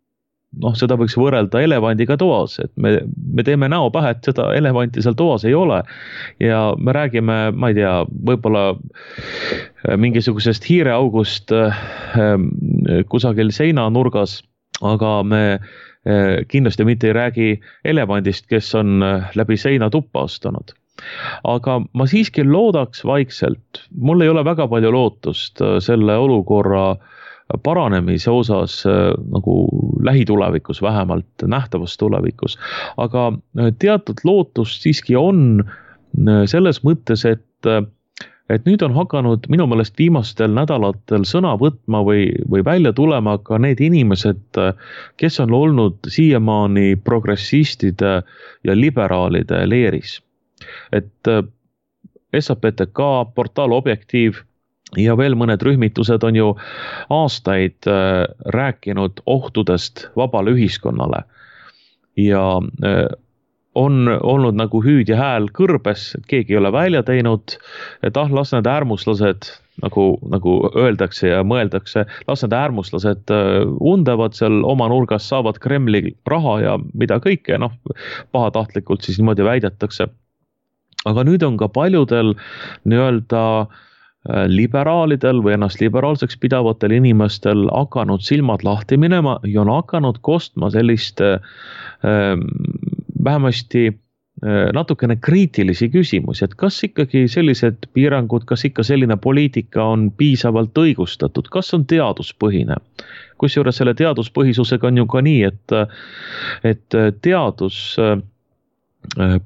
Noh, seda võiks võrrelda elevandiga toas, et me, me teeme näo pähe, et seda elevanti seal toas ei ole. Ja me räägime, ma ei tea, võib-olla mingisugusest hiireaugust kusagil seinanurgas, aga me kindlasti mitte ei räägi elevandist, kes on läbi seina tuppa astunud. Aga ma siiski loodaks vaikselt, mul ei ole väga palju lootust selle olukorra paranemise osas nagu lähitulevikus, vähemalt nähtavas tulevikus. Aga teatud lootust siiski on selles mõttes, et, et nüüd on hakanud minu meelest viimastel nädalatel sõna võtma või, või välja tulema ka need inimesed, kes on olnud siiamaani progressistide ja liberaalide leeris. Et S A P T K, portaal Objektiiv ja veel mõned rühmitused on ju aastaid rääkinud ohtudest vabale ühiskonnale ja on olnud nagu hüüd ja hääl kõrbes, et keegi ei ole välja teinud, et ah, las need äärmuslased, nagu, nagu öeldakse ja mõeldakse, las need äärmuslased undavad seal oma nurgas, saavad Kremli raha ja mida kõike, noh, pahatahtlikult siis niimoodi väidetakse. Aga nüüd on ka paljudel nii-öelda liberaalidel või ennast liberaalseks pidavatel inimestel hakanud silmad lahti minema ja on hakanud kostma sellist äh, vähemasti äh, natukene kriitilisi küsimusi, et kas ikkagi sellised piirangud, kas ikka selline poliitika on piisavalt õigustatud, kas on teaduspõhine. Kusjuures selle teaduspõhisusega on ju ka nii, et, et teadus äh,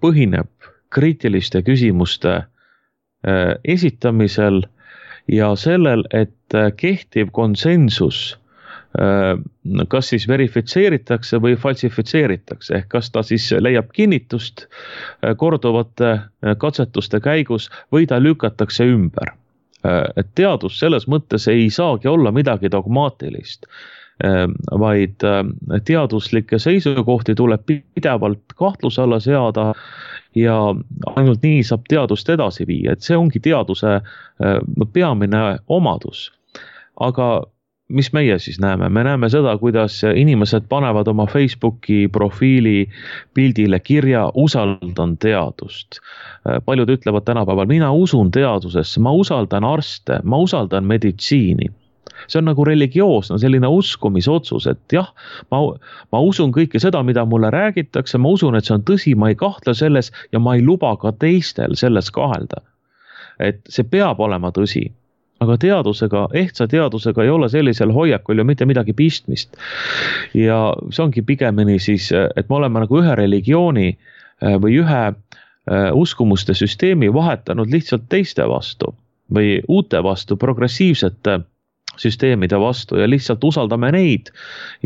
põhineb kriitiliste küsimuste esitamisel ja sellel, et kehtiv konsensus kas siis verifitseeritakse või falsifitseeritakse, ehk kas ta siis leiab kinnitust korduvate katsetuste käigus või ta lükatakse ümber. Et teadus selles mõttes ei saagi olla midagi dogmaatilist, vaid teaduslikke seisukohti tuleb pidevalt kahtluse alla seada ja ainult nii saab teadust edasi viia, et see ongi teaduse peamine omadus. Aga mis meie siis näeme? Me näeme seda, kuidas inimesed panevad oma Facebooki profiili pildile kirja usaldan teadust. Paljud ütlevad tänapäeval, mina usun teadusesse, ma usaldan arste, ma usaldan meditsiini. See on nagu religioosne, selline uskumisotsus, et jah, ma, ma usun kõike seda, mida mulle räägitakse, ma usun, et see on tõsi, ma ei kahtle selles ja ma ei luba ka teistel selles kahelda. Et see peab olema tõsi. Aga teadusega, ehtsa teadusega ei ole sellisel hoiakul ju mitte midagi pistmist. Ja see ongi pigemini siis, et me oleme nagu ühe religiooni või ühe uskumuste süsteemi vahetanud lihtsalt teiste vastu või uute vastu, progressiivsete süsteemide vastu ja lihtsalt usaldame neid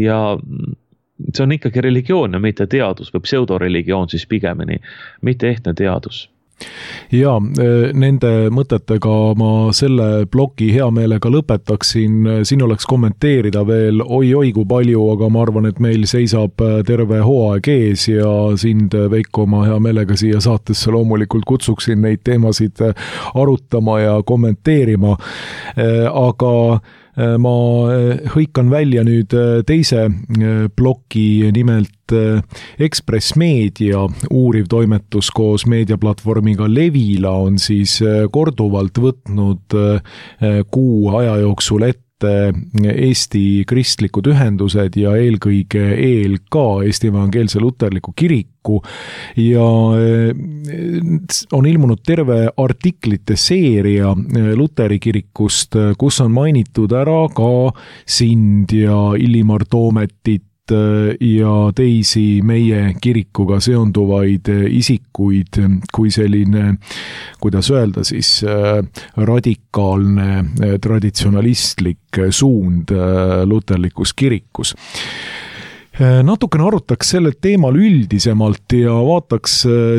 ja see on ikkagi religioon ja mitte teadus või pseudoreligioon siis pigemini, mitte ehtne teadus. Ja nende mõtetega ma selle ploki hea meelega lõpetaksin. Siin oleks kommenteerida veel oi-oi kui palju, aga ma arvan, et meil seisab terve hooaeg ees ja sind, Veiko, ma hea meelega siia saatesse loomulikult kutsuksin neid teemasid arutama ja kommenteerima. Aga ma hõikan välja nüüd teise ploki, nimelt Ekspress Meedia uuriv toimetus koos meediaplatvormiga Levila on siis korduvalt võtnud kuu aja jooksul ette Eesti kristlikud ühendused ja eelkõige E L K, Eesti Evangeelse Luterliku Kiriku, ja on ilmunud terve artiklite seeria Luteri kirikust, kus on mainitud ära ka sind ja Illimar Toometit ja teisi meie kirikuga seonduvaid isikuid kui selline, kuidas öelda siis, radikaalne traditsionalistlik suund luterlikus kirikus. Natukene arutaks sellel teemal üldisemalt ja vaataks,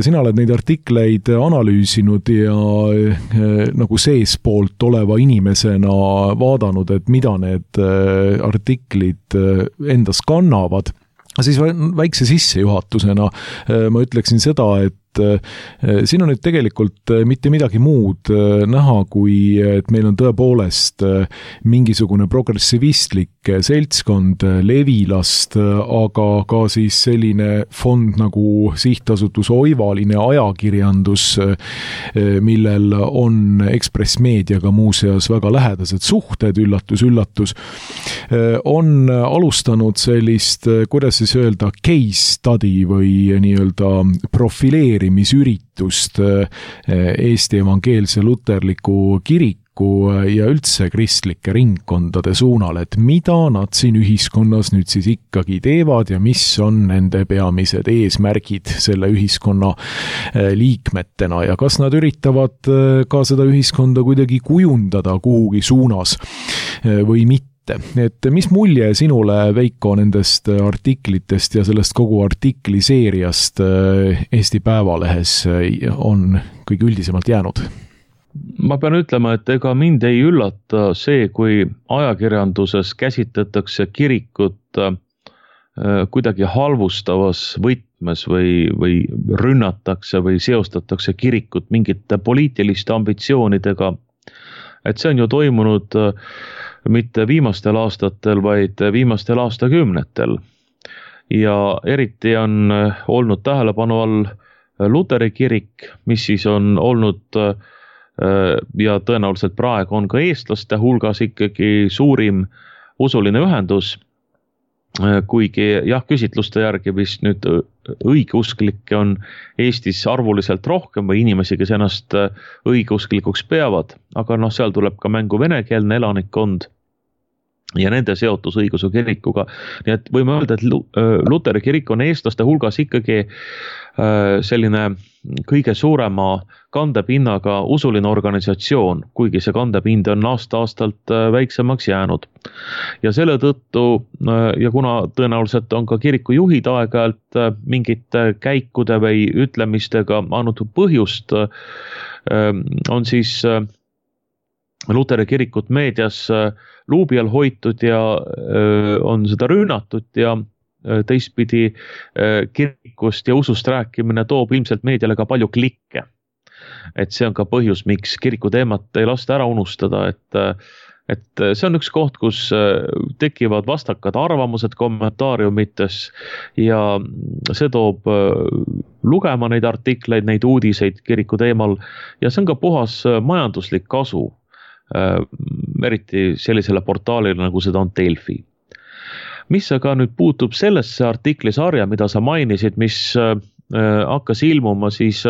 sina oled neid artikleid analüüsinud ja nagu seespoolt oleva inimesena vaadanud, et mida need artiklid endas kannavad. Siis väikse sissejuhatusena ma ütleksin seda, et siin on nüüd tegelikult mitte midagi muud näha, kui et meil on tõepoolest mingisugune progressivistlik seltskond Levilast, aga ka siis selline fond nagu sihtasutus Oivaline ajakirjandus, millel on Ekspress Meediaga muuseas väga lähedased suhted, üllatus, üllatus, on alustanud sellist, kuidas siis öelda, case study või nii-öelda profileeri üritust Eesti Evangeelse Luterliku Kiriku ja üldse kristlike ringkondade suunal, et mida nad siin ühiskonnas nüüd siis ikkagi teevad ja mis on nende peamised eesmärgid selle ühiskonna liikmetena ja kas nad üritavad ka seda ühiskonda kuidagi kujundada kuhugi suunas või mitte. Et mis mulje sinule, Veiko, nendest artiklitest ja sellest kogu artikliseeriast Eesti Päevalehes on kõige üldisemalt jäänud? Ma pean ütlema, et ega mind ei üllata see, kui ajakirjanduses käsitletakse kirikut kuidagi halvustavas võtmes või, või rünnatakse või seostatakse kirikut mingite poliitiliste ambitsioonidega. Et see on ju toimunud mitte viimastel aastatel, vaid viimastel aastakümnetel. Ja eriti on olnud tähelepanu all Luteri kirik, mis siis on olnud ja tõenäoliselt praegu on ka eestlaste hulgas ikkagi suurim usuline ühendus, kuigi jah, küsitluste järgi vist nüüd õigeusklikke on Eestis arvuliselt rohkem või inimesi, kes ennast õigeusklikuks peavad, aga noh, seal tuleb ka mängu venekeelne elanikkond ja nende seotus õigeusu kirikuga. Nii et võime öelda, et Luteri kirik on eestlaste hulgas ikkagi selline kõige suurema kandepinnaga usuline organisatsioon, kuigi see kandepind on aasta-aastalt väiksemaks jäänud. Ja selle tõttu, ja kuna tõenäoliselt on ka kiriku juhid aeg-ajalt mingite käikude või ütlemistega andnud põhjust, on siis Luteri kirikut meedias luubi all hoitud ja on seda rünnatud ja teistpidi kirikust ja usust rääkimine toob ilmselt meediale ka palju klikke. Et see on ka põhjus, miks kiriku teemat ei lasta ära unustada, et, et see on üks koht, kus tekivad vastakad arvamused kommentaariumites ja see toob lugema neid artikleid, neid uudiseid kiriku teemal ja see on ka puhas majanduslik kasu, eriti sellisele portaalile, nagu seda on Delfi. Mis aga nüüd puutub sellesse artiklisarja, mida sa mainisid, mis hakkas ilmuma siis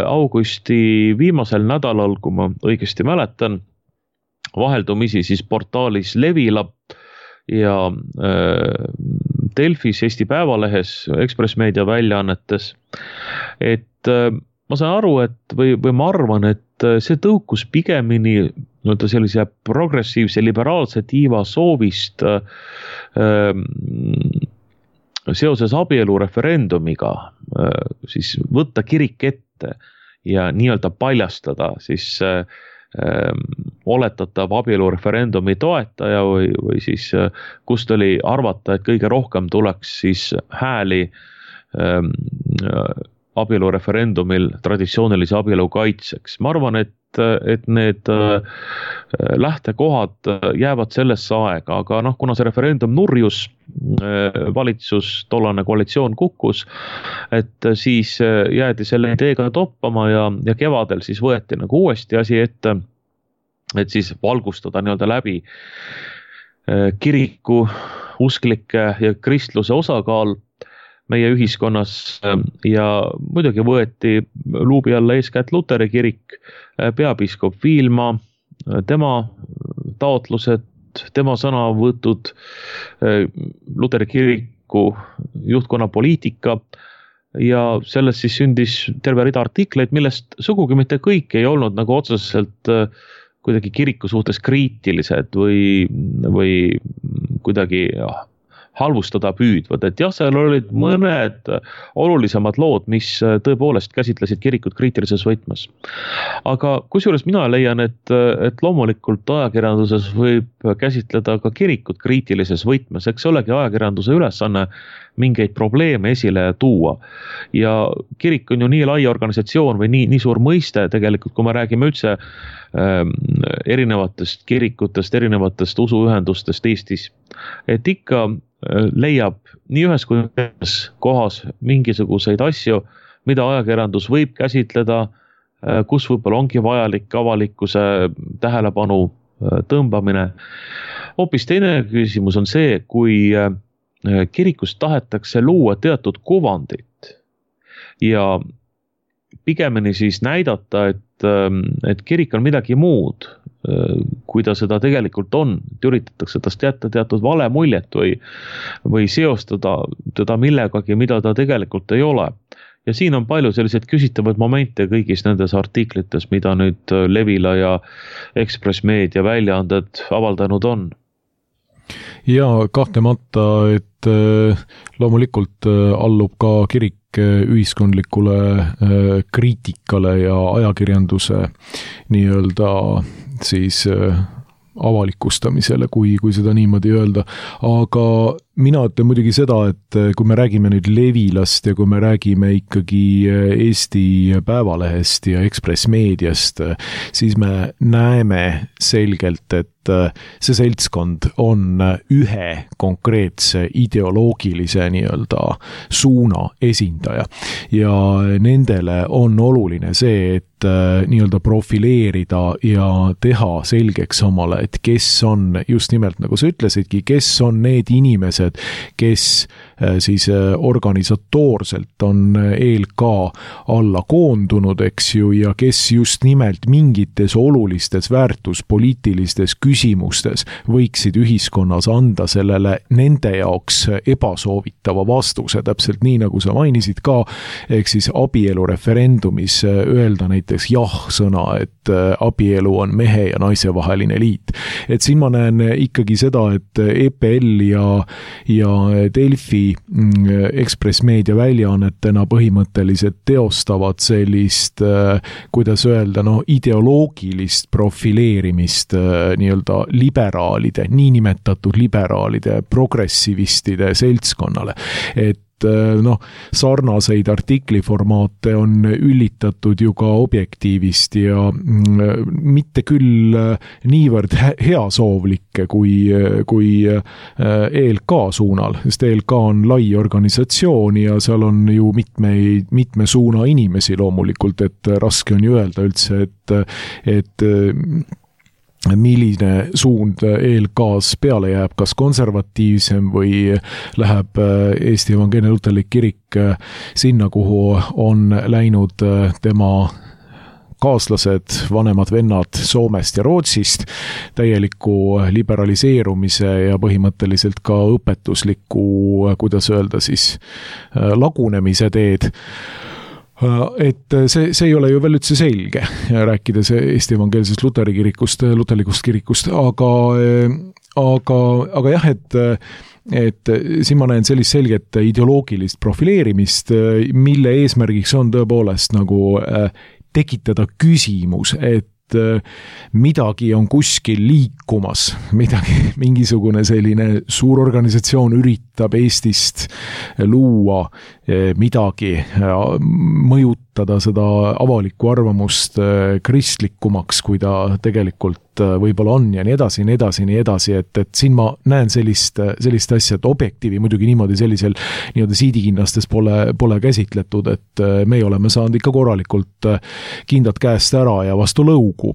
augusti viimasel nädalal, kui ma õigesti mäletan, vaheldumisi siis portaalis Levila ja Delfis, Eesti Päevalehes, Ekspress Meedia väljaannetes. Et ma saan aru, et või, või ma arvan, et see tõukus pigemini no sellise progressiivse liberaalse tiiva soovist äh, seoses abielu referendumiga äh, siis võtta kirik ette ja nii-öelda paljastada siis äh, oletatav abielureferendumi toetaja või, või siis kust oli arvata, et kõige rohkem tuleks siis hääli ähm, abielureferendumil traditsioonilise abielu kaitseks. Ma arvan, et, et need äh, lähtekohad jäävad sellesse aega, aga noh, kuna see referendum nurjus, äh, valitsus, tollane koalitsioon kukkus, et siis jäädi selle ideega toppama ja, ja kevadel siis võeti nagu uuesti asi ette, et siis valgustada nii-öelda läbi äh, kiriku, usklike ja kristluse osakaal meie ühiskonnas ja muidugi võeti luubi alla eeskätt Luteri kirik, peapiiskop Viilma, tema taotlused, tema sõnavõtud, Luteri kiriku juhtkonna poliitika ja sellest siis sündis terve rida artikleid, millest sugugi mitte kõik ei olnud nagu otseselt kuidagi kiriku suhtes kriitilised või, või kuidagi jah, halvustada püüdvad, et jah, seal olid mõned olulisemad lood, mis tõepoolest käsitlesid kirikut kriitilises võtmes. Aga kusjuures mina leian, et, et loomulikult ajakirjanduses võib käsitleda ka kirikut kriitilises võtmes, eks olegi ajakirjanduse ülesanne mingeid probleeme esile tuua. Ja kirik on ju nii lai organisatsioon või nii, nii suur mõiste tegelikult, kui me räägime üldse ähm, erinevatest kirikutest, erinevatest usuühendustest Eestis, et ikka leiab nii ühes kui teises kohas mingisuguseid asju, mida ajakirjandus võib käsitleda, kus võib-olla ongi vajalik avalikkuse tähelepanu tõmbamine. Hoopis teine küsimus on see, kui kirikus tahetakse luua teatud kuvandit ja pigemini siis näidata, et, et kirik on midagi muud, kui ta seda tegelikult on, et üritatakse tast jätta teatud vale muljet või, või seostada teda millegagi, mida ta tegelikult ei ole. Ja siin on palju selliseid küsitavaid momente kõigis nendes artiklites, mida nüüd Levila ja Ekspress Meedia väljaanded avaldanud on. Ja kahtlemata, et loomulikult allub ka kirik ühiskondlikule kriitikale ja ajakirjanduse nii-öelda siis avalikustamisele, kui, kui seda niimoodi öelda. Aga mina ütlen muidugi seda, et kui me räägime nüüd Levilast ja kui me räägime ikkagi Eesti Päevalehest ja Ekspress Meediast, siis me näeme selgelt, et see seltskond on ühe konkreetse ideoloogilise nii-öelda suuna esindaja ja nendele on oluline see, et nii-öelda profileerida ja teha selgeks omale, et kes on just nimelt, nagu sa ütlesidki, kes on need inimesed, kes siis organisatoorselt on E L K alla koondunud, eks ju, ja kes just nimelt mingites olulistes väärtuspoliitilistes küsimustes võiksid ühiskonnas anda sellele nende jaoks ebasoovitava vastuse, täpselt nii, nagu sa mainisid ka, ehk siis abielu referendumis öelda näiteks jah-sõna, et abielu on mehe ja naise vaheline liit. Et siin ma näen ikkagi seda, et E P L ja, ja Delfi Ekspress Meedia väljaannetena põhimõtteliselt teostavad sellist, kuidas öelda, no ideoloogilist profileerimist nii-öelda liberaalide, niinimetatud liberaalide, progressivistide seltskonnale. Et noh, sarnaseid artikliformaate on üllitatud ju ka Objektiivist ja mitte küll niivõrd heasoovlikke kui, kui E L K suunal, sest E L K on lai organisatsioon ja seal on ju mitme, mitme suuna inimesi loomulikult, et raske on ju öelda üldse, et, et milline suund E L K-s peale jääb, kas konservatiivsem või läheb Eesti Evangeelne Luterlik Kirik sinna, kuhu on läinud tema kaaslased, vanemad vennad Soomest ja Rootsist, täieliku liberaliseerumise ja põhimõtteliselt ka õpetusliku, kuidas öelda siis, lagunemise teed. Et see, see ei ole ju veel üldse selge, rääkides Eesti Evangeelsest Luteri kirikust, luterlikust kirikust, aga, aga, aga jah, et et siin ma näen sellist selget ideoloogilist profileerimist, mille eesmärgiks on tõepoolest nagu tekitada küsimus, et midagi on kuskil liikumas, midagi, mingisugune selline suur organisatsioon üritab Eestist luua midagi, mõjutada seda avalikku arvamust kristlikumaks, kui ta tegelikult võib-olla on ja nii edasi, nii edasi, nii edasi, et, et siin ma näen sellist, sellist asja, et objektiivi muidugi niimoodi sellisel nii-öelda siidikinnastes pole, pole käsitletud, et me oleme saanud ikka korralikult kindad käest ära ja vastu lõugu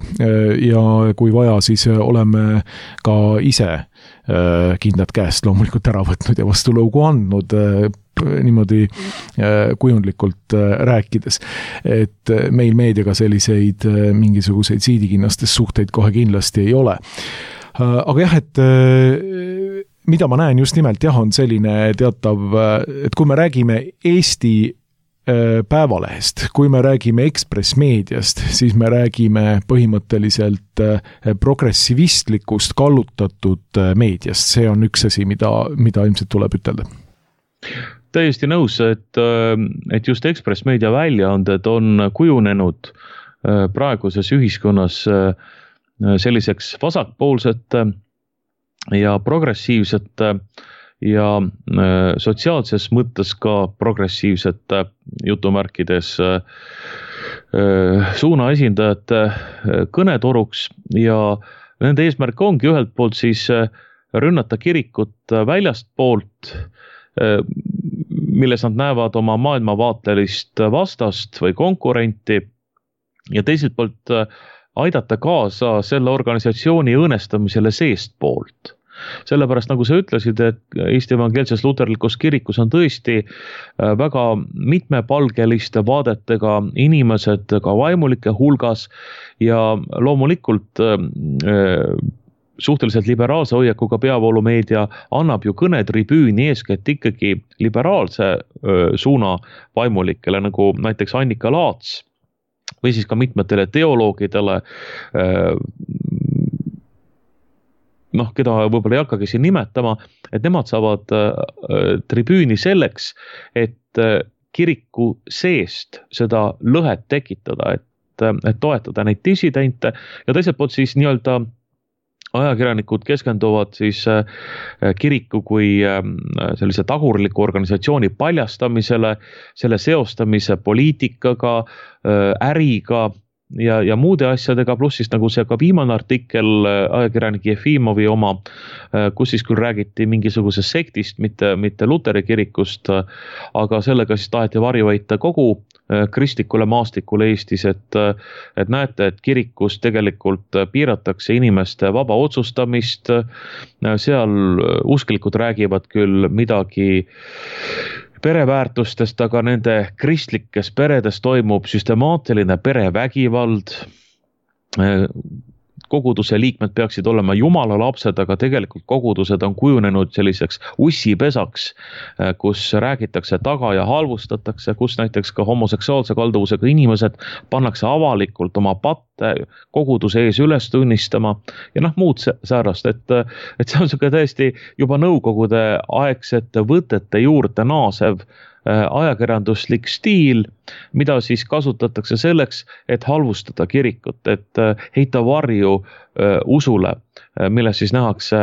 ja kui vaja, siis oleme ka ise kindad käest loomulikult ära võtnud ja vastu lõugu andnud niimoodi kujundlikult rääkides, et meil meediaga selliseid mingisuguseid siidikinnastes suhteid kohe kindlasti ei ole. Aga jah, et mida ma näen just nimelt jah, on selline teatav, et kui me räägime Eesti Päevalehest, kui me räägime Ekspress Meediast, siis me räägime põhimõtteliselt progressivistlikust kallutatud meediast. See on üks asi, mida, mida ilmselt tuleb ütelda. Täiesti nõus, et, et just Ekspress Meedia väljaanded on kujunenud praeguses ühiskonnas selliseks vasakpoolsete ja progressiivsete ja sotsiaalses mõttes ka progressiivsete jutumärkides suuna esindajate kõnetoruks ja nende eesmärk ongi ühelt poolt siis rünnata kirikut väljast poolt, milles nad näevad oma maailmavaatelist vastast või konkurenti ja teiselt poolt aidata kaasa selle organisatsiooni õõnestamisele seest poolt. Sellepärast, nagu sa ütlesid, et Eesti Evangeelses Luterlikus kirikus on tõesti väga mitmepalgeliste vaadetega inimesed ka vaimulike hulgas ja loomulikult suhteliselt liberaalse hoiakuga peavoolumeedia annab ju kõnetribüüni eeskätt ikkagi liberaalse suuna vaimulikele, nagu näiteks Annika Laats või siis ka mitmetele teoloogidele, noh, keda võib-olla ei hakkagi siin nimetama, et nemad saavad äh, tribüüni selleks, et äh, kiriku seest seda lõhet tekitada, et, et toetada neid dissidente ja teiselt poolt siis nii-öelda ajakirjanikud keskenduvad siis äh, kiriku kui äh, sellise tagurliku organisatsiooni paljastamisele, selle seostamise poliitikaga, äh, äriga, ja, ja muude asjadega, pluss siis nagu see ka viimane artikkel ajakirjanik Jefimovi oma, kus siis küll räägiti mingisugusest sektist, mitte, mitte Luteri kirikust, aga sellega siis taheti varjuväita kogu kristlikule maastikule Eestis, et, et näete, et kirikus tegelikult piiratakse inimeste vaba otsustamist, seal usklikud räägivad küll midagi pereväärtustest, aga nende kristlikes peredes toimub süstemaatiline perevägivald. Koguduse liikmed peaksid olema jumala lapsed, aga tegelikult kogudused on kujunenud selliseks ussipesaks, kus räägitakse taga ja halvustatakse, kus näiteks ka homoseksuaalse kalduvusega inimesed pannakse avalikult oma patte koguduse ees üles tunnistama ja noh, muud säärast, et, et see on selline täiesti juba nõukogude aegsete võtete juurde naasev ajakirjanduslik stiil, mida siis kasutatakse selleks, et halvustada kirikut, et heita varju usule, milles siis nähakse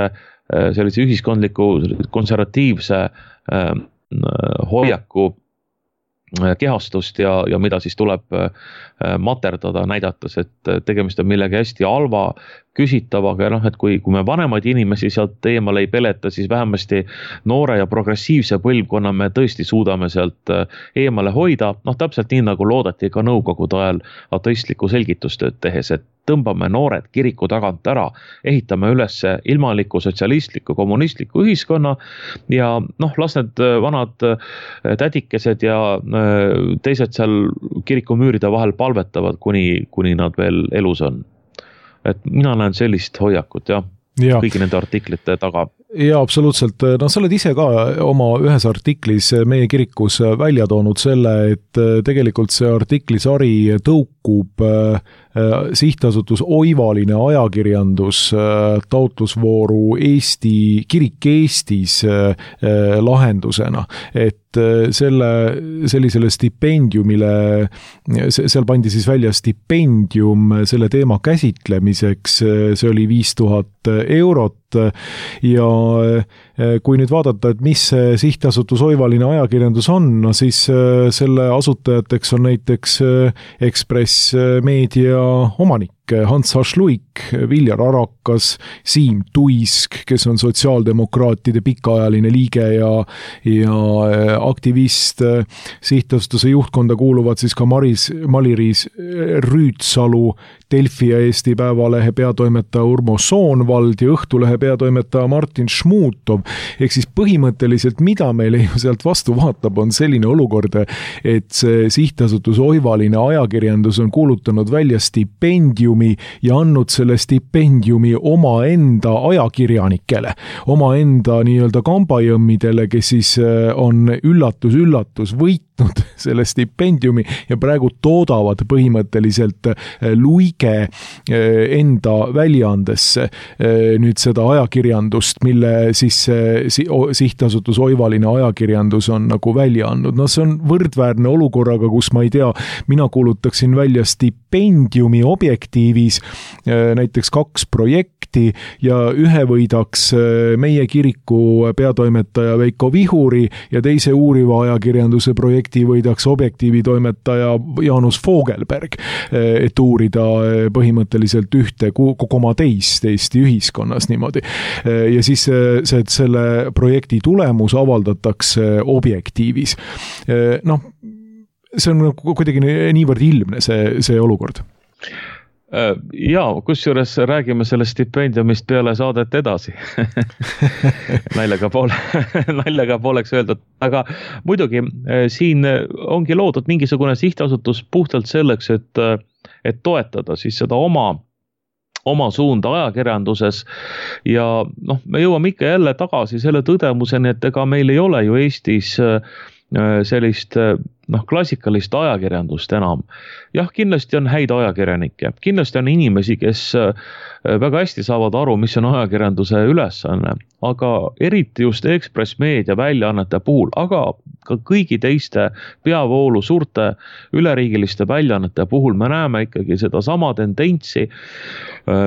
sellise ühiskondliku konservatiivse hoiaku kehastust ja, ja mida siis tuleb materdada, näidates, et tegemist on millegi hästi halva küsitavaga ja noh, et kui, kui me vanemaid inimesi sealt eemale ei peleta, siis vähemasti noore ja progressiivse põlvkonna me tõesti suudame sealt eemale hoida, noh täpselt nii nagu loodeti ka nõukogude ajal ateistlikku selgitustööd tehes, et tõmbame noored kiriku tagant ära, ehitame üles ilmaliku, sotsialistliku, kommunistliku ühiskonna ja noh, las need vanad tädikesed ja teised seal kirikumüüride vahel palvetavad, kuni, kuni nad veel elus on. Et mina näen sellist hoiakut ja, ja kõigi nende artiklite taga. Ja absoluutselt, no sa oled ise ka oma ühes artiklis meie kirikus välja toonud selle, et tegelikult see artiklisari tõukub sihtasutus Oivaline ajakirjandus taotlusvooru Eesti, kirik Eestis lahendusena, et selle, sellisele stipendiumile, seal pandi siis välja stipendium selle teema käsitlemiseks, see oli viis tuhat eurot ja kui nüüd vaadata, et mis see sihtasutus Oivaline ajakirjandus on, no siis selle asutajateks on näiteks Ekspress Meedia omanik Hans Hašluik, Viljar Arakas, Siim Tuisk, kes on sotsiaaldemokraatide pikaajaline liige ja, ja aktivist. Sihtasutuse juhtkonda kuuluvad siis ka Maris, Maliris Rüütsalu, Delfi ja Eesti Päevalehe peatoimetaja Urmo Soonvald ja Õhtulehe peatoimetaja Martin Šmutov. Ehk siis põhimõtteliselt, mida meile ju sealt vastu vaatab, on selline olukord, et see sihtasutus Oivaline ajakirjandus on kuulutanud välja stipendiumi ja andnud selle stipendiumi oma enda ajakirjanikele, oma enda nii-öelda kambajõmmidele, kes siis on üllatus-üllatus võitnud selle stipendiumi ja praegu toodavad põhimõtteliselt luige enda väljaandesse nüüd seda ajakirjandust, mille siis sihtasutus Oivaline ajakirjandus on nagu välja andnud. No see on võrdväärne olukorraga, kus ma ei tea, mina kuulutaksin välja stipendiumi objektiivis näiteks kaks projekti ja ühe võidaks meie kiriku peatoimetaja Veiko Vihuri ja teise uuriva ajakirjanduse projekti võidaks objektiivi toimetaja Jaanus Fogelberg, et uurida põhimõtteliselt ühte koma teist Eesti ühiskonnas niimoodi. Ja siis see, selle projekti tulemus avaldatakse objektiivis. Noh, see on kuidagi niivõrd ilmne see, see olukord. Jaa, kusjuures räägime sellest stipendiumist peale saadet edasi. naljaga, poole, naljaga pooleks öeldud. Aga muidugi siin ongi loodud mingisugune sihtasutus puhtalt selleks, et, et toetada siis seda oma, oma suunda ajakirjanduses. Ja noh, me jõuame ikka jälle tagasi selle tõdemuseni, et ega meil ei ole ju Eestis sellist noh, klassikalist ajakirjandust enam. Jah, kindlasti on häid ajakirjanikke, kindlasti on inimesi, kes väga hästi saavad aru, mis on ajakirjanduse ülesanne, aga eriti just Ekspress Meedia väljaannete puhul, aga ka kõigi teiste peavoolu suurte üleriigiliste väljaannete puhul me näeme ikkagi seda sama tendentsi,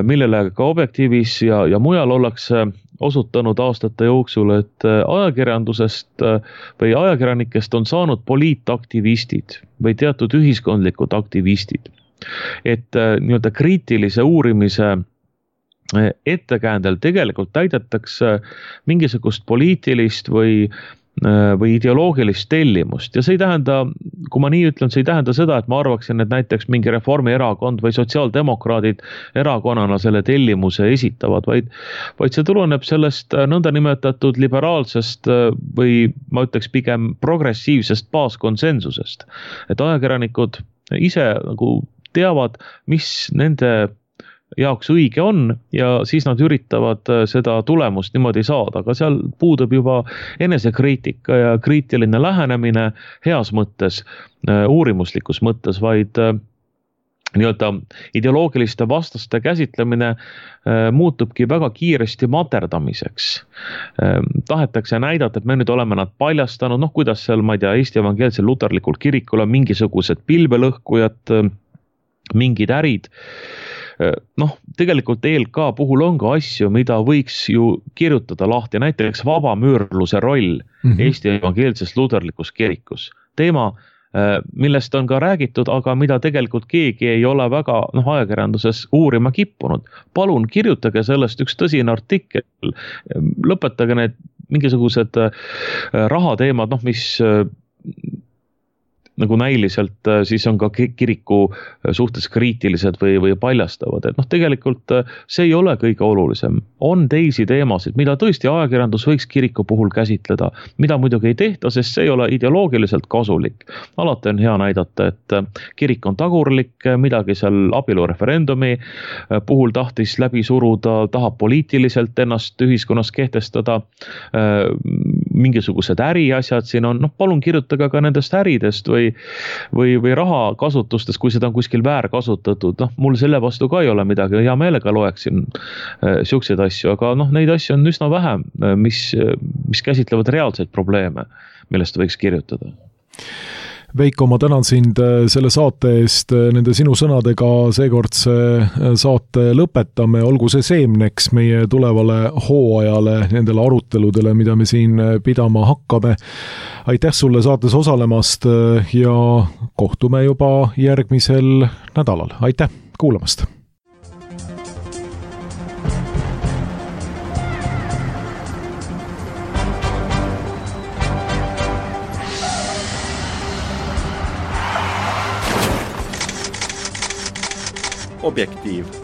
millele ka objektiivis ja, ja mujal ollakse osutanud aastate jooksul, et ajakirjandusest või ajakirjanikest on saanud poliitaktivistid või teatud ühiskondlikud aktivistid. Et nii-öelda kriitilise uurimise ettekäändel tegelikult täidetakse mingisugust poliitilist või või ideoloogilist tellimust ja see ei tähenda, kui ma nii ütlen, see ei tähenda seda, et ma arvaksin, et näiteks mingi Reformierakond või sotsiaaldemokraadid erakonnana selle tellimuse esitavad, vaid, vaid see tuleneb sellest nõndanimetatud liberaalsest või ma ütleks pigem progressiivsest baaskonsensusest, et ajakirjanikud ise nagu teavad, mis nende jaoks õige on ja siis nad üritavad seda tulemust niimoodi saada, aga seal puudub juba enesekriitika ja kriitiline lähenemine heas mõttes, uurimuslikus mõttes, vaid nii-öelda ideoloogiliste vastaste käsitlemine muutubki väga kiiresti materdamiseks. Tahetakse näidata, et me nüüd oleme nad paljastanud, noh kuidas seal, ma ei tea, Eesti Evangeelsel Luterlikul kirikul on mingisugused pilvelõhkujad, mingid ärid. Noh, tegelikult E L K puhul on ka asju, mida võiks ju kirjutada lahti, näiteks vabamüürluse roll mm-hmm. Eesti Evangeelses Luterlikus kirikus. Teema, millest on ka räägitud, aga mida tegelikult keegi ei ole väga noh, ajakirjanduses uurima kippunud. Palun kirjutage sellest üks tõsine artikkel, lõpetage need mingisugused rahateemad, noh, mis nagu näiliselt siis on ka kiriku suhtes kriitilised või, või paljastavad. Et noh, tegelikult see ei ole kõige olulisem. On teisi teemasid, mida tõesti ajakirjandus võiks kiriku puhul käsitleda, mida muidugi ei tehta, sest see ei ole ideoloogiliselt kasulik. Alati on hea näidata, et kirik on tagurlik, midagi seal abielureferendumi puhul tahtis läbi suruda, tahab poliitiliselt ennast ühiskonnas kehtestada, mingisugused äriasjad siin on, noh palun kirjutage ka nendest äridest või, või, või raha kasutustest, kui seda on kuskil väärkasutatud, noh mul selle vastu ka ei ole midagi, hea meelega loeksin äh, siukseid asju, aga noh neid asju on üsna vähe, mis, mis käsitlevad reaalseid probleeme, millest võiks kirjutada. Veiko, ma tänan sind selle saate eest, nende sinu sõnadega seekordse saate lõpetame, olgu see seemneks meie tulevale hooajale, nendele aruteludele, mida me siin pidama hakkame. Aitäh sulle saates osalemast ja kohtume juba järgmisel nädalal. Aitäh kuulamast! Objektiiv.